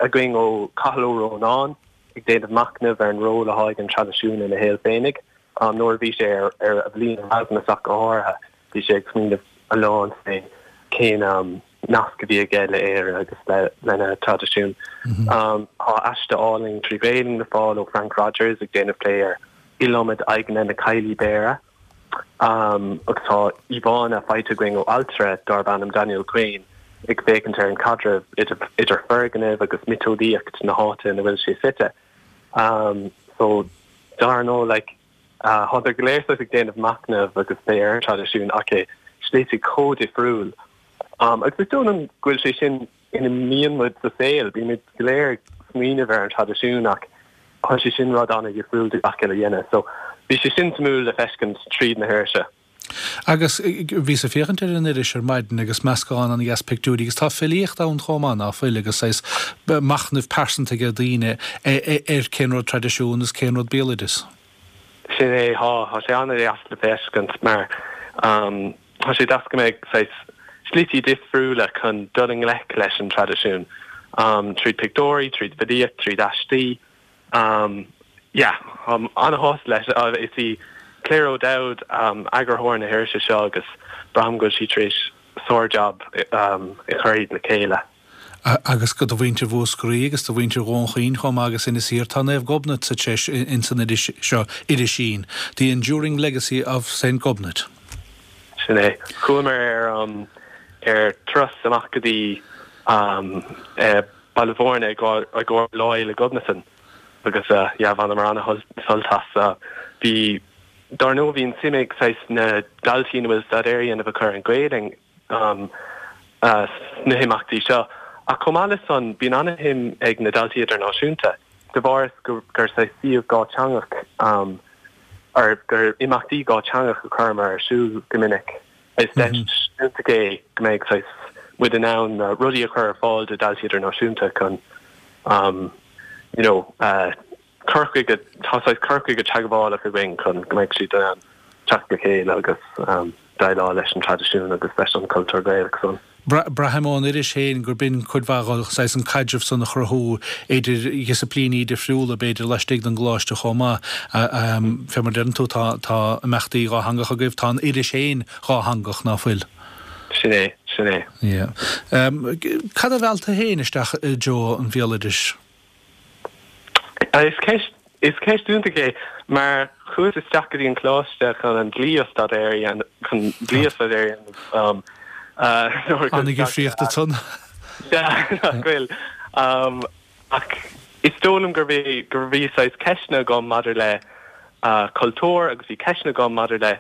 againn ó Cathal Ó Rónáin ag déanamh machnaimh ar an ról atá ag an traidisiún ina shaol féinig nuair a bhí sé ar ar a bhliain Erasmus ach go háirithe bhí sé ag smaoineamh a lán fé cén nasc a bhí aige le Éire agus lena traidisiún. Tá aiste álainn trí Ghaelainn le fáil ó Frank Rogers ag déanamh plé ar iliomad aghaidheanna na Caillí Béara. Agus tá íomhánna faighte againn ó ailtire darb ainm Daniel Quane ag féachaint ar an chaidreamh idir foirgnimh agus miotaseolaíocht na háite ina bhfuil sé suite. So, dar ndóigh, like, Tádar go léir saghas ag déanamh machnamh agus plé ar an traidisiún ach i slite chomh difriúil. Agus is dóigh liom go bhfuil sé sin ina mbíonn muid sa saol, bímid go léir ag smaoineamh ar an traidisiún ach tá sé sin rud an-dhifriúil de gach uile dhuine. So bhí sé sin suimiúil le feiscint tríd na hirise. Agus bhíos ag féachaint ar an iris ar maidin agus meascán an-dheas pictiúirí agus tá filíocht ann chomh maith, ná fuil, agus saghas machnamh pearsanta ag daoine ar cén rud traidisiún is cén rud béaloideas. Sin é, tá, tá sé an-deas le feiscint mar tá sé deas go mbeidh saghas slití difriúla chun dul i ngleic leis an traidisiún, tríd pictiúirí, tríd filíocht, tríd aistí. Yeah, táim an-shásta leis. Is í Claire O'Dowd eagarthóir na hirise seo agus braithim go bhfuil sí tar éis sár-jab a chur iad le chéile. Agus do mhuintir Mhúscraí agus do mhuintir Dhún Chaoin chomh maith agus Inis Oírr, tá Naomh Gobnait sa treis ins an iris seo, Irisín, The Enduring Legacy of Saint Gobnait. Sin é. Chuamar ar ar turas amach go dtí Baile Bhúirne i gcomhair Lá Fhéile Gobnatan agus yeah bhaineamar an-sult as. Bhí, dár ndóigh bhí an suim ag saghas na daltaí ina bhfuil staidéar á dhéanamh acu ar an Ghaelainn sna himeachtaí seo ach chomh maith le san bíonn an-shuim ag na daltaí idirnáisiúnta de bharr is gur saghas suíomh dhátheangach or gur imeachtaí dhátheangach a chuireamar ar siúl go minic. Is deis iontach é go mbeidh saghas muid in ann rudaí a chur ar fáil do dhaltaí idirnáisiúnta chun you know cur chuige, tá saghas cur chuige teagmhálach againn chun go mbeidh siad in ann teacht le chéile agus déileáil leis an traidisiún agus leis an cultúr Gaelach san. Braithim ón iris féin gur b'in cuid mhaith dho, saghas an caidreamh san a chruthú idir dhisciplíní difriúla, b'fhéidir, laistigh den gcoláiste chomh maith. Fé mar a deireann tú, tá, tá imeachtaí dhátheangacha agaibh, tá an iris féin dhátheangach, ná fuil? Sin é, sin é. Yeah. Cad a mheall tú féin isteach i dtreo an bhéaloidis? Is ceist, is ceist iontach é mar chuas isteach go dtí an coláiste chun an dlí a staidéar a dhéanamh, chun dlí a staidéar a dhéanamh nuair a An-dhifríocht ansan. Sea, nach bhfuil. Ach is dóigh liom gur bhí, gur bhí saghas ceisteanna agam maidir le cultúr agus bhí ceisteanna agam maidir le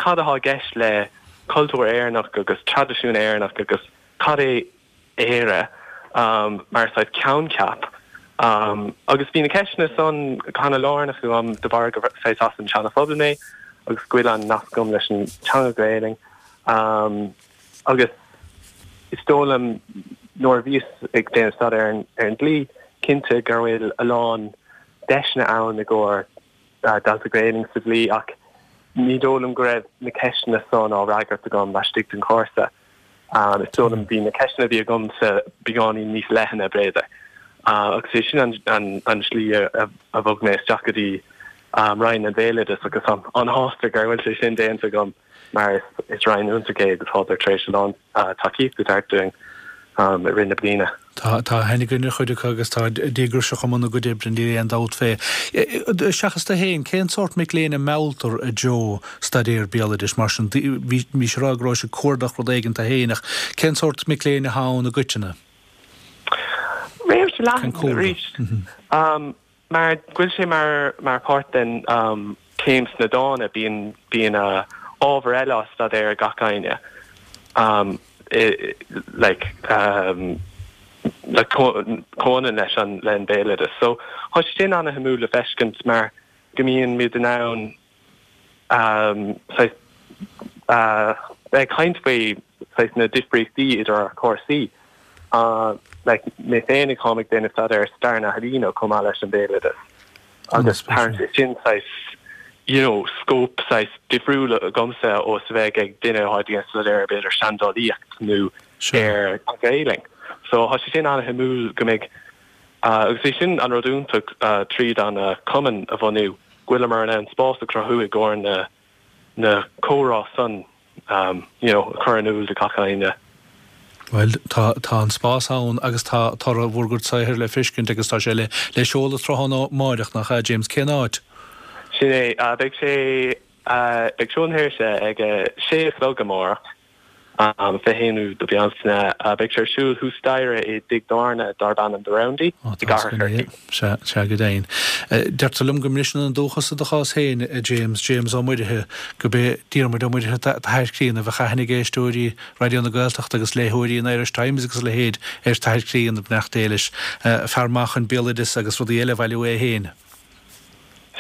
cad atá i gceist le cultúr Éireannach agus traidisiún Éireannach agus cad é Éire mar saghas coincheap. Agus bhí na ceisteanna san ana lárnach agam de bharr gur saghas as an Seana Phobal mé agus go bhfuil an nasc agam leis an teanga Gaelainn. Agus is dóigh liom nuair a bhíos ag déanamh staidéar ar an dlí, cinnte go bhfuil a lán deiseanna ann i gcomhair dalta Gaelainn sa dlí ach ní dóigh liom go raibh na ceisteanna san á fhreagairt agam laistigh den chúrsa. Is dóigh liom bhí na ceisteanna a bhí agamsa beagáinín níos leithne, b'fhéidir. Agus é sin an slí a bhog mé isteach go dtí Roinn an Bhéaloidis agus táim an-shásta go bhfuil sé sin déanta agam mar is roinn iontach é agus tádar tar éis a lán tacaíocht a thabhairt dúinn i rith na bliana. Tá aithne againn ar chuid acu agus táid díograiseach i mbun a gcuid oibre, níl aon dabht fé. Seachas tú féin, cén sórt mic léinn a mealltar i dtreo staidéar béaloidis mar sin? Bhís ag rá go rabhais ag cuardach rud éigin tú féin ach cén sórt mic léinn atá ann i gcoitinne? Réimse leathan arís. Mar go bhfuil sé mar mar páirt den chéim sna dána, bíonn bíonn ábhar eile á staidéar ag gach éinne like like comhionann leis an le an béaloideas. So tá sé sin ana-shuimiúil le feiscint mar go mbíonn muid in ann saghas bheith ag caint faoi saghas na difríochtaí idir ár cúrsaí. Like mé féinig táim ag déanamh staidéar ar stair na healaíne chomh maith leis an bhéaloideas agus tagann sé sin saghas you know scóip saghas difriúil agamsa ó is a bheadh ag duine atá ag déanamh staidéar ar b'fhéidir seandálaíocht nó ar an Ghaelainn. So tá sé sin an-shuimiúil go mbeidh agus é sin an rud iontach tríd an cumann a bhunú go bhfuileamar in ann spás a chruthú i gcomhair na na comhrá san you know a chur in iúl do gach éinne. Bhuel, tá, tá an spás ann agus tá toradh bhur gcuid saothair le feiscint agus tá sé le, le seoladh tráthnóna amáireach, nach ea, James? Cén áit? Sin é. Beidh sé, beidh seoladh na hirise ag a sé a chlog amárach. An 21ú de Bealtaine, beidh sé ar siúl thuas staighre i dtigh tábhairne darb ainm The Roundy i gCathair Chorcaí. Sea, sea, go deimhin. Deirtear liom go mbriseann an dúchas i do chás féin, a James, James Ó Muirithe, gurb é Diarmuid Ó Muirithe t'athair críonna, bheadh aithne ag éisteoirí Raidió na Gaeltachta agus léitheoirí an Irish Times agus a leithéid ar t'athair críonna, beannacht Dé leis. Fear maith chun béaloideas agus rudaí eile a bhailiú é féin.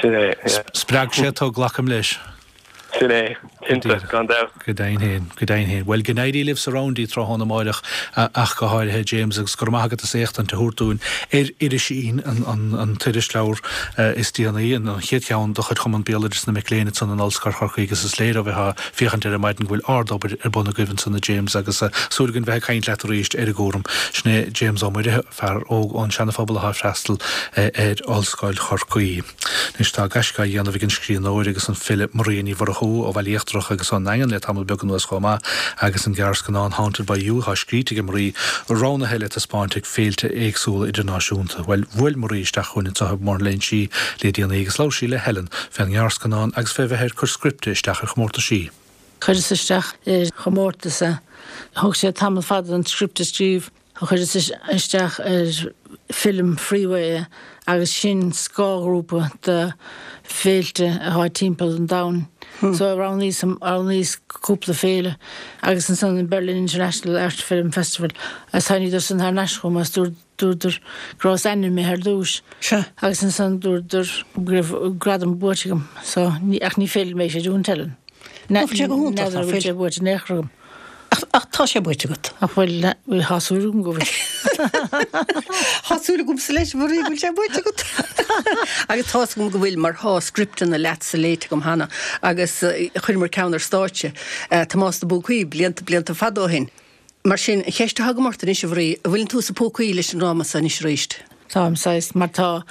Sin é, yeah. Spreag sé tú, glacaim leis. Sin é, cinnte, gan dabht. Go deimhin féin, go deimhin féin. Bhuel, go n-éirí libh sa Roundy tráthnóna amáireach ach go háirithe, James, agus go raibh maith agat as éachtaint a thabhairt dúinn ar Irisín, an t-irisleabhar is déanaí, an chéad cheann de chuid Chumann Béaloideas na Mic Léinn ansan in Ollscoil Chorcaí agus is léir ó bheith á féachaint air ar maidin go bhfuil ard-obair ar bun agaibh ansan, a James, agus súil againn bheith ag caint leat arís ar an gcúram. Sin é James Ó Muirithe, fear óg ón Seana-Phobal atá ag freastal ar Ollscoil Chorcaí. Anois tá gaisce á dhéanamh ag an scríbhneoir agus an file Maria Ní Mhurchú. Murchú ó Bhaile Íochtarach agus ón nDaingean le tamall beag anuas chomh maith agus an gearrscannán Haunted by You atá scríte ag Marie roghnaithe le taispeáint ag féilte éagsúla idirnáisiúnta. Bhuel, bhuail Marie isteach chugainn anseo i mBóthar na Léinsí le déanaí agus labhair sí le Helen fén ngearrscannán agus fé bheith ar cur scripte isteach ar chomórtaisí. Chuireas isteach ar chomórtas é. Thóg sé tamall fada an script a scríobh. Chuireas isteach ar Film Freeway é agus sin scáthghrúpa de féilte atá timpeall an domhain. So roghnaíos, roghnaíos cúpla féile agus ansan an Berlin International Art Film Festival agus tháiníodar san thar n-ais chugam agus dúradar go rabhas ainmnithe ar dtúis agus ansan dúradar go raibh gradam buaite agam so ach ní féidir liom é creidiúint Helen. Bhfuil sé go hiontach, N'fheadar an bhfuil sé buaite in aon chor agam. Ach tá sé buaite agat. Ach bhuel, tá súil agam go bhfuil. Tá súil agamsa leis, a Mharie, go bhfuil sé buaite agat. Agus tá's agam go bhfuil, mar tá scripteanna leatsa léite agam cheana agus chuireamar ceann ar stáitse, Tomás na bPúcaí, blianta, blianta fada ó shin. Mar sin, an cheist atá agam ort anois, a Mharie, an bhfuileann tú sa phúcaí leis an dráma seo anois arís? Táim saghas, mar tá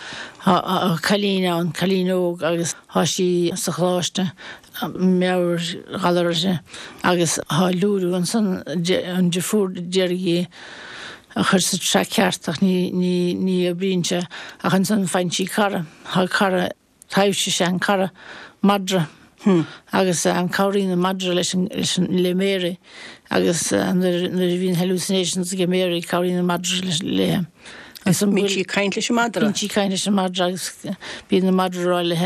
cailín ann, cailín óg agus tá sí sa choláiste, meabhairghalar uirthi agus tá liúiriú ansan, an deirfiúr d'iarraidh í a chur sa traic ceart ach ní, ní, ní oibríonn sé ach ansan faigheann sí cara, tá cara, Taibhse is ea an cara, madra, agus cabhraíonn an madra leis an, leis an, le Mary agus nuair, nuair a bhíonn hallucinations ag Mary cabhraíonn an madra leis, léi. Agus bíonn sí ag caint leis an madra? Bíonn sí ag caint leis an madra agus bíonn an madra ag rá léi,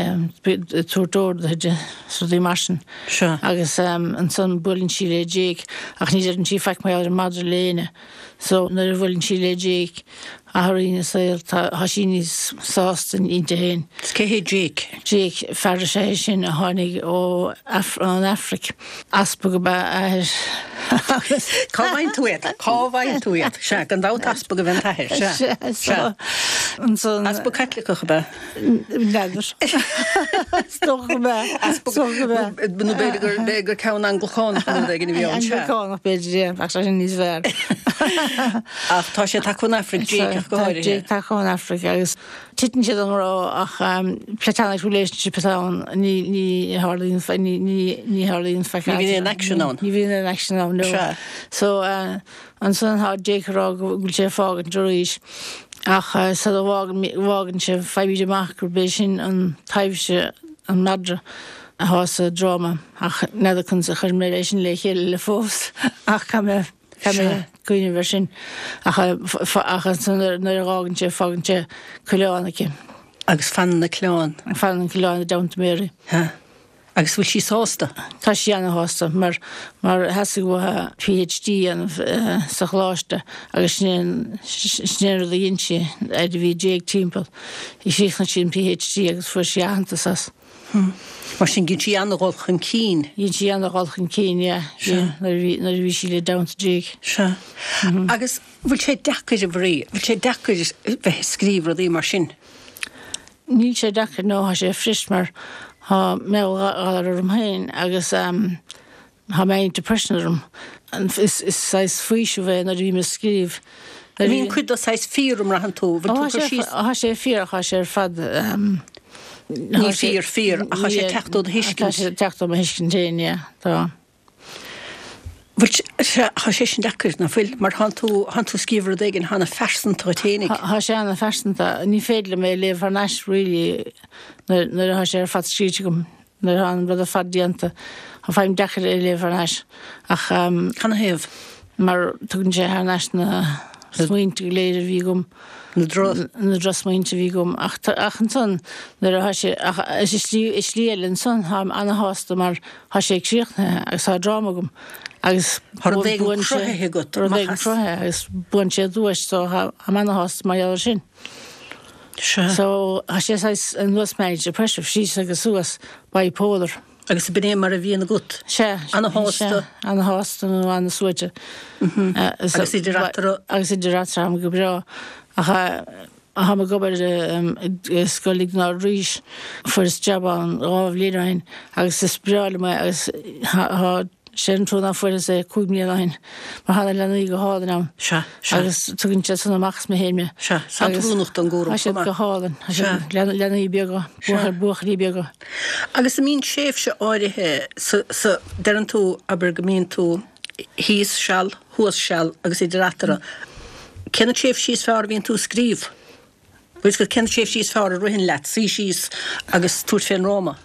ag tabhairt orduithe di, is rudaí mar sin. Sea. Agus ansan buaileann sí le Jake ach ní deireann sí faic mar gheall ar an madra le éinne. So nuair a bhuaileann sí le Jake, athraíonn a saol, tá sí níos sásta inti féin. Is cé hé Jake? Jake, fear is ea é sin a tháinig ó ón Afraic. Easpag ab ea a athair agus. Cá bhfaigheann tú iad? Cá bhfaigheann tú iad? Sea, gan dabht easpag a bheith an t-athair, sea. Sea, so ansan. Easpag Caitliceach ab ea? N'fheadar. Is dócha go mb'ea. Is dócha go mb'ea. Nó b'fhéidir gur, b'fhéidir gur ceann Anglacánach nó rud éigin a bhí ann, sea. Anglacánach b'fhéidir, yeah, bheadh sé sin níos fearr. Ach tá sé tagtha ón Afraic, Jake ach go háirithe. Jake tagtha ón Afraic agus titeann siad i ngrá ach platonic relationship atá ann, ní, ní tharlaíonn, ní, ní, ní tharlaíonn faic Ní bhíonn aon action ann. Ní bhíonn aon action ann, no. Sea. So, Ansan tá Jake ag rá go bhfuil sé ag fágaint arís ach sula bhfágann sé faighimid amach gurb é sin an taibhse, an madra, atá sa dráma ach n'fheadar conas a chuir mé é sin le chéile le fós ach caithfidh mé caithfidh mé cuimhneamh air sin ach ach ansan nuair a dh'fhágann sé fágann sé coileán aici. Agus fanann an coileán. Fanann an coileán i dteannta Mary. Sea. Agus bhfuil sí sásta? Tá sí ana-shásta mar mar theastaigh uaithi PhD a dhéanamh sa choláiste agus sin é an sin é an rud a dhein sí fhaid a bhí Jake timpeall. Chríochnaigh sí an PhD agus fuair sí aitheantas as. Mar sin dhein sí ana-dhul chun cinn. Dhein sí ana-dhul chun cinn, yeah. Sea. Nuair a bhí nuair a bhí sí le dteannta Jake. Sea. Agus bhfuil sé deacair, a Mharie, bhfuil sé deacair bheith ag scríobh rudaí mar sin? Níl sé deacair nó tá sé fuirist mar tá meabhairghalar orm féin agus tá manic depression orm. Is saghas faoiseamh é nuair a bhím ag scríobh. An mbíonn cuid de saghas fíor an mbraitheann tú? Bhfuil tú ag cur síos? Tá sé fíor ach tá sé ar fad. Ní fíor fíor ach tá sé ag teacht ó do thuiscint. Tá sé ag teacht ó mo thuiscint féin, yeah. Tá. Bhuel, sea, tá sé sin deacair, nach bhfuil? Mar thánn tú, thánn tú ag scríobh rud éigin ana-phearsanta dhuit fhéinig. Tá sé ana-phearsanta. Ní féidir liom é a léamh thar n-ais really nuair, nuair atá sé ar fad scríte agam, nuair atá an rud ar fad déanta. Faighim deacair é a léamh thar n-ais. Ach. Canathaobh? Mar tugann sé thar n-ais na smaointe go léir a bhí agam. Na droch. Na drochsmaointe a bhí agam. Ach, ach ansan nuair atá sé, ach i slí, i slí eile ansan táim ana-shásta mar Tá sé críochnaithe agus tá dráma agam agus Tá rud éigin cruthaithe agat, rud éigin cruthaithe agus buann sé duais so táim ana-shásta mar gheall air sin. Sea. So tá sé saghas ar nós manic depressive, síos agus suas, bipolar. Agus b'in é mar a bhíonn agat. Sea. Ana-shásta. Ana-shásta nó ana-suaite. Agus idir eatarthu. Agus idir eatarthu táim go breá. Ach Táim ag obair i Scoil Iognáid Rís. Fuaireas jab ann 2 bhliain ó shin agus is breá liom é agus tá. Sé an trua ná fuaireas é 5 mbliana ó shin mar thá na leanaí go hálainn ann. Sea, sea. Agus tugann siad san amach as mé féin mé. Sea, tá an oiriúnach don gcúram chomh maith. Tá siad go hálainn. Tá siad leanaí beaga, buachaillí beaga. Agus an mbíonn tréimhse áirithe sa, sa, deireann tú, abair go mbíonn tú thíos seal, thuas seal agus idir eatarthu. Cé na tréimhsí is fearr a bhíonn tú ag scríobh? Bhfuil fhios agat cé na tréimhsí is fearr a ritheann leat suí síos agus tabhairt fén ndráma?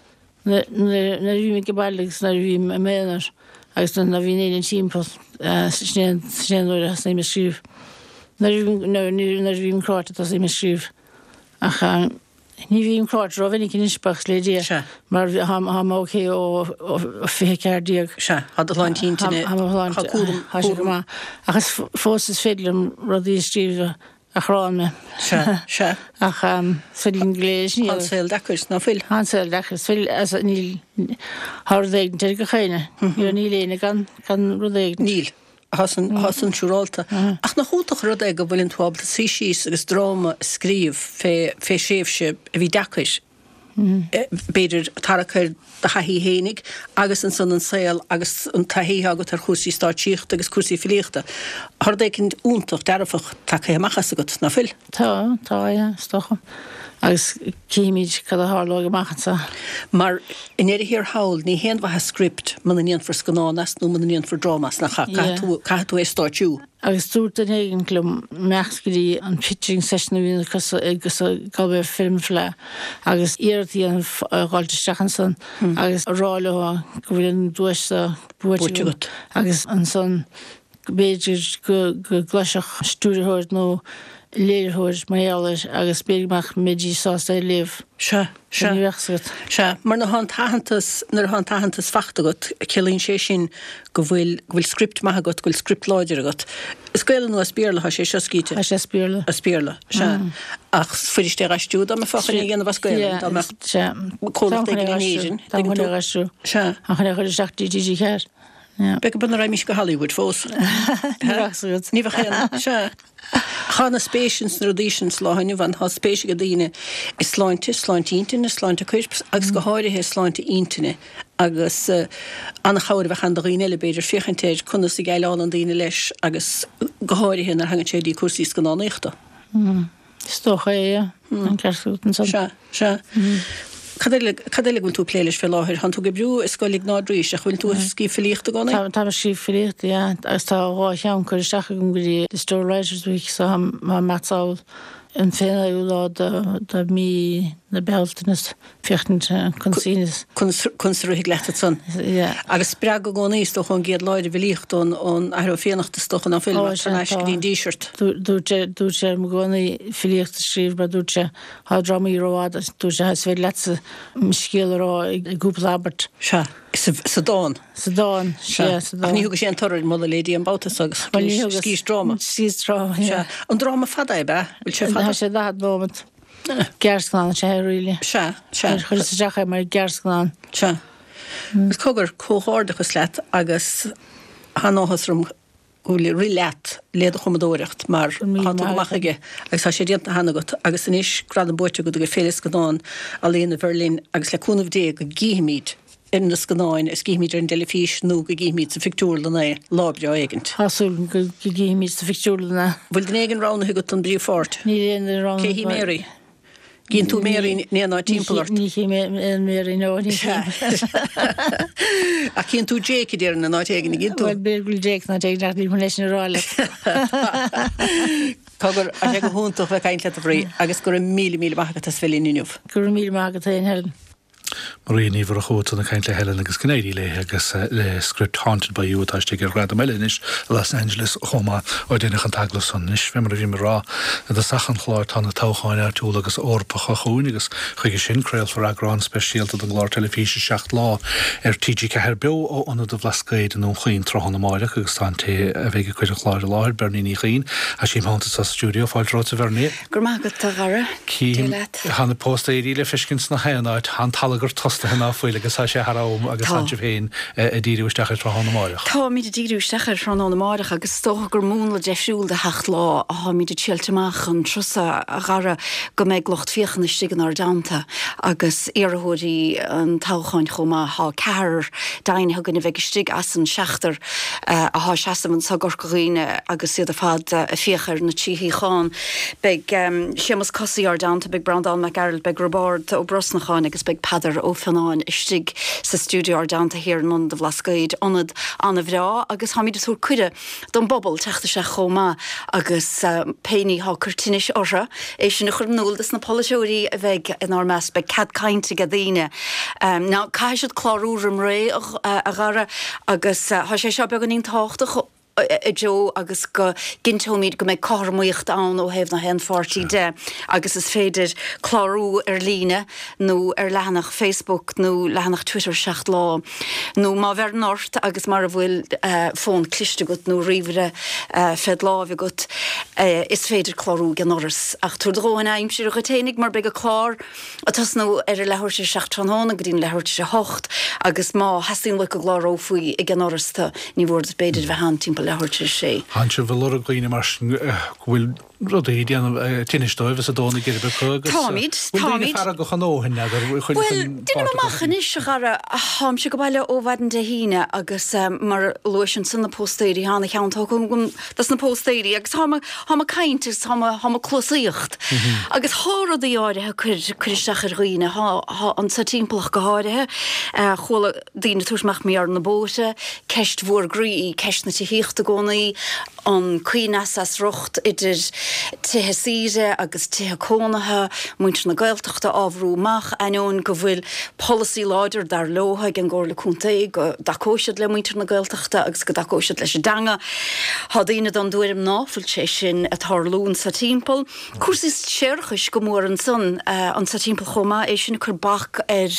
Nuair a bhím ag baile agus nuair a bhím i m'aonar agus nuair ná bhíonn éinne timpeall, sin é an uair a thosnaím ag scríobh. Nuair a bhím cráite tosaím ag scríobh. Ach ní bhím cráite rómhinic anois, buíochas le Dia, mar tá mé ok ó 24. Sea, tá do shláinte intinne, tá cúram, tá sé go maith. Ach is fós is féidir liom rudaí a scríobh a chránn mé. Sea, sea. Ach is féidir linn go léir sin a Tá an saol deacair, ná fuil? Tá an saol deacair. Is féidir, as, níl, tá rud éigin ar gach éinne. Níl éinne gan, gan rud éigin. Níl. Tá san, tá san siúrálta. Ach nach iontach an rud é go bhfuileann tú ábalta suí síos agus dráma a scríobh fé, fé thréimhse a bhí deacair. b'fhéidir, tarrac ar do thaithí fhéinig agus ansan an saol agus an taithí atá agat ar chúrsaí stáitsíochta agus cúrsaí filíochta. Tá rud éicint iontach dearfach tagtha amach as agat, ná fuil? Tá, tá, yeah, is dócha. Agus cífimid cad a tharlóidh amach anseo. Mar i ndeireadh thiar thall, ní haon mhaitheas script muna ndéanfar scannán as nó muna ndéanfar dráma as, nach ea? Caithfidh tú, caithfidh tú é a stáitsiú. Agus dúirt duine éigin liom imeacht go dtí an pitching session a bhíonn acu sa Galway Film Fleadh agus iarracht a dhéanamh a dh'fháilt isteach ansan agus a rá leo go bhfuil an duais seo buaite agat agus ansan b'fhéidir go gcloisfeadh stiúrthóir nó léiritheoir mar gheall air agus b'fhéidir go mbeidís sásta é a léamh. Sea, sea. Ní bheadh 's agat. Sea, mar nuair atá an t-aitheantas, nuair atá an t-aitheantas fachta agat, ciallaíonn sé sin go bhfuil, go bhfuil script maith agat, go bhfuil script láidir agat. As Gaelainn nó as Béarla atá sé seo, Skeete? Tá sé as Béarla. As Béarla, sea. Ach is fuirist é dh'aistriú dá mbeifeá chun é a dhéanamh as Gaelainn, dá mbeadh comhlacht éigin in Éirinn, tuigeann tú? Sea. Tá chun é a chur isteach dtí TG4. Beidh go b'fhéidir raghaimís go Hollywood fós. Ní bheadh 's agat. Ní bheadh aon, sea. Tá ana spéis ins na rudaí sin sa lá inniu ann. Tá spéis ag daoine i sláinte, sláinte intinne, sláinte coirp agus go háirithe sláinte intinne agus ana chabhair a bheadh ann do dhaoine eile b'fhéidir féachaint ar conas a dhéileálann daoine leis agus go háirithe nuair a thagann sé dtí cúrsaí scannánaíochta. Is dócha é, yeah. An ceart agat ansan. Sea, sea. Cad eile, cad eile go bhfuil tú ag plé leis fé láthair? Tánn tú ag oibriú i Scoil Iognáid Rís, ach bhfuil tú ag scríobh filíochta i gcónaí? Tá, táim ag scríobh filíochta, yeah. Agus tá 2 cheann curtha isteach agam go dtí Listowel Writers' Week, so tá mé ag sall an 29ú lá de, de mí na Bealtaine. Féachaint conas. Conas a rithfidh leat ansan. Yeah. Agus spreagadh i gcónaí, is dócha, ón gcéad lá ar an bhfilíocht, ón Athair Ó Fiannachta, is dócha, ná fuil, mar thar n-ais go dtí an Díseart. Dúirt sé, dúirt sé liom i gcónaí filíocht a scríobh mar dúirt sé, tá drámaí rófhada, dúirt sé, is féidir leatsa scéal a rá i gcúpla abairt. Sea. Sa dán. Sa dán, sea, sa dán. Ach ní thugais aon toradh ar mholadh le Dia an babhta so agus scríobhais dráma. Scríobhas dráma, yeah. Sea. An dráma fada é, ab ea? Bhfuil sé fada? Tá sé 40 nóiméad. Gearrscannán is ea é really. Sea, sea. Chuireas isteach é mar ghearrscannán. Sea. Agus cogar, comhghairdeachas leat agus tá an-áthas orm go bhfuil ag rith leat le do chumadóireacht mar tá tú go maith chuige agus tá sé déanta cheana agat agus anois gradam buaite agat ag Féile Scannán Ealaíona Bheirlín agus le cúnamh Dé go gcífimid ar na scannáin is gcífimid ar an dteilifís nó go gcífimid sa phictiúrlann é lá breá éigint. Tá súil agam go gcífimid sa phictiúrlann é. Bhfuil duine éigin roghnaithe agat don bpríomhpháirt? Níl aon duine roghnaithe Cé hí Mary? Gcíonn tú Mary in aon áit timpeall ort? Ní chím aon Mary, no, ní chím. Ach cíonn tú Jake, a déarfainn, in áit éigin, an gcíonn tú? Bhuel, b'fhéidir go bhfuil Jake in áit éigin ach níl mé leis sin a rá leat. Cogar, tá sé go hiontach bheith ag caint leat a Mharie agus go raibh míle míle maith agat as bheith linn inniu. Go raibh míle maith agat féin, Helen. Maria Ní Mhurchú ansan ag caint le Helen agus go n-éirí léi agus le script Haunted by You atá istigh ar ghradam eile anois i Los Angeles chomh maith. Ó deineadh an t-agallamh san anois, fé mar a bhím ag rá i dtosach an chláir, tá na toghcháin áitiúla agus Eorpacha chugainn agus chuige sin craolfar eagrán speisialta den gclár teilifíse Seacht Lá ar TG4 beo ó Ionad an Bhlascaoid i nDún Chaoin tráthnóna amáireach agus tá an té a bheidh ag cur an chláir i láthair, Bernie Ní Chuinn, tá sí im theannta sa stiúideo. Fáilte romhat a Bhernie. Go raibh maith agat a Dhara. Dia leat. Tá na póstaeirí le feiscint sna haon áit. Tá an t-allagar. gur tostaithe ná fuil agus tá sé thar am agus Tá. tánn sibh féin ag díriú isteach ar tráthnóna amáireach. Táimid ag díriú isteach ar thráthnóna amáireach agus is dócha gur múnla deifriúil de Sheacht Lá atáimid ag triailt amach an turas seo, a Dhara, go mbeidh lucht féachana istigh inár dteannta agus iarrthóirí an toghcháin chomh maith. Tá ceathrar deimhnithe againn a bheidh istigh as an seachtar athá ag seasamh anso i gCorca Dhuibhne agus iad ar fad ag fiach ar na trí shuíochán. Beidh Séamus Cosaí ár dteannta, beidh Breandán Mac Gearailt, beidh Roibeárd Ó Brosnacháin agus beidh Peadar Ó Fionnáin istigh sa stiúideo ár dteannta thiar in Ionad an Bhlascaoid, ionad ana-bhreá agus táimid ag tabhairt cuireadh don bpobal teacht isteach chomh maith agus pé ní thá ag cur tinnis orthu, é sin a chur in iúl dos na polaiteoirí a bheidh inár measc. Beidh cead cainte age daoine. Now caithfidh siad clárú roim ré, a Dhara, agus thá sé seo beagáinín tábhachtach i dtreo agus go gcinnteoimid go mbeidh cothromaíocht ann ó thaobh na haon pháirtí de agus is féidir clárú ar líne nó ar leathanach Facebook nó leathanach Twitter 7 Lá nó má bheireann ort agus mara bhfuil fón cliste agat nó ríomhaire fed láimh agat is féidir clárú ag an ndoras ach tabhair do dhóthain aimsire dhuit fhéinig mar beidh an clár ag tosnú ar a leathuair tar éis a 7 tráthnóna go dtí an leathuair tar éis a 8 agus má theastaíonn uait go gclárófaí ag an ndoras tu, ní mhór duit b'fhéidir a bheith ann timpeall leathuair tar éis a 6. Tánn sibh ag lorg dhaoine mar sin go bhfuil rudaí ag déanamh tinnis dóibh is ag dó na geirbe acu agus Táimid, bhfuil daoine táimid. feargach a ndóthain n'fheadar chun Bhuel, chun deinim páirt a amach ghlacadh? anois, a Dhara, tháimse go baile ó mhaidin Dé hAoine agus mar a luais ansan na póstaeirí, thá ana cheann tógtha agam dos na póstaeirí agus táim táim ag caint agus táim táim ag cluasaíocht agus thá rudaí áirithe ag cur cur isteach ar dhaoine, thá thá anso timpeall ach go háirithe. Chuala daoine ag tabhairt amach mar gheall ar na bóithre, ceist mhór groí í ceist na tithíochta i gcónaí, an coibhneas as riocht idir tithe saoire agus tithe cónaithe, muintir na Gaeltachta á bhrú amach, ainneoin go bhfuil polasaí láidir, dar leo, ag an gComhairle Contae go dtacóidh siad le muintir na Gaeltachta agus go dtacóidh siad leis an dteanga. Tá daoine den dtuairim ná fuil sé sin ag tarlú anso timpeall. Cúrsaí séarachais go mór ansan anso timpeall chomh maith, é sin ag cur bac ar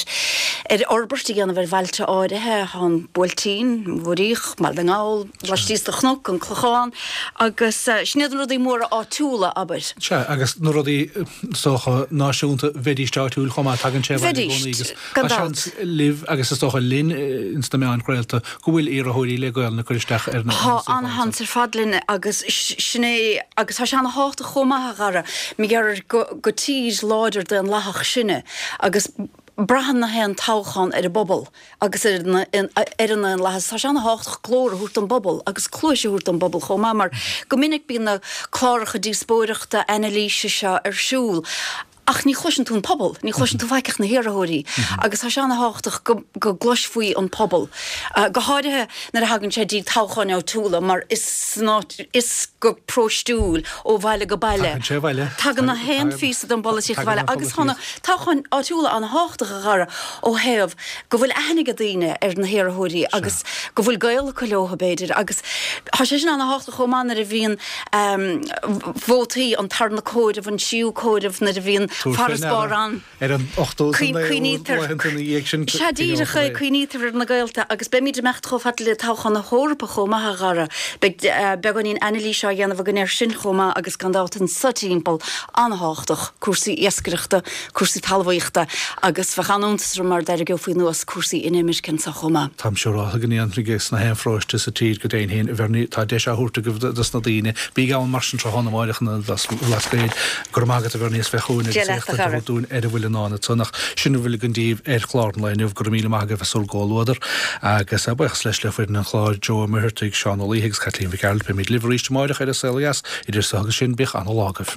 ar fhorbairt a dhéanamh ar bhailte áirithe. Tá an Buailtín, an Mhuiríoch, Baile na nGall, laistíos de Chnoc, an Clochán agus sin iad na rudaí móra áitiúla, abair. Sea, agus na rudaí is dócha náisiúnta, bheidís áitiúil chomh maith, tagann sé abhaile i gcónaí agus Gan tá dabht. seans libh agus is dócha linn ins na meáin chraolta go bhfuil iarrthóirí le Gaolainn ag cur isteach ar na Tá suíocháin an-sheans ar fad linn agus sin é agus tá sé ana-thábhachtach chomh maith, a Dhara, mar gheall ar gur gur tír láidir daonlathach sinne agus braitheann na haon toghchán ar an bpobal agus ar an ar an ndaonlathas. Tá sé ana-thábhachtach glór a thabhairt don bpobal agus cluais a thabhairt don bpobal chomh maith mar go minic bíonn na cláracha díospóireachta, anailíse seo ar siúl Ach ní chloiseann tú an pobal, ní chloiseann tú faic ach na hiarrthóirí agus tá sé ana-thábhachtach go go gcloisfí an pobal, go háirithe nuair a thagann sé dtí toghcháin áitiúla mar is san áit, is go próistiúil ó bhaile go baile. Tagann sé abhaile. Tagann na haon phíosa den bpolaitíocht abhaile agus tá na toghcháin áitiúla ana-thábhachtach a Dhara ó thaobh go bhfuil aithne ag daoine ar na hiarrthóirí agus go bhfuil gaol acu leo b'fhéidir agus tá sé sin ana-thábhachtach chomh maith nuair a bhíonn vótaí, an tarna comhaireamh, an tríú comhaireamh, nuair a bhíonn farasbarr ann. Ar an ochtó is an naoú laethanta ina dhiaidh sin. Sea, díreach é, cuimhnítear ar na gaolta agus beimid ag imeacht chomh fada le toghchán na hEorpa chomh maith, a Dhara. Beidh beagáinín anailíse á dhéanamh againn air sin chomh maith agus gan dabht anso timpeall, an-thábhachtach, cúrsaí iascaireachta, cúrsaí talmhaíochta agus bheadh an-iontas orm mara dtarraingeofaí anuas cúrsaí inimirce anso chomh maith. Táim siúrálta go ndéanfaidh sna haon pharóiste sa tír go deimhin féin, a Bhernie, tá deis á thabhairt agaibh dos na daoine. Bígí ann mar sin tráthnóna amáireach in Ionad Bhlascaoid. Go raibh maith agat a Bhernie as bheith chugainn Dia agus leat, a éachtaint a chara. thabhairt dúinn ar a bhfuil i ndán ansan. Ach sin a bhfuil againn daoibh ar chlár an lae inniu. Go raibh míle maith agaibh as bhur gcomhluadar. Agus buíochas leis le foireann an chláir, Joe Ó Muircheartaigh, Seán Ó Laoithe agus Caitlín Mhic Gearailt. Beimid libh arís amáireach ar An Saol Ó Dheas. Idir so agus sin, bíodh ana-lá agaibh.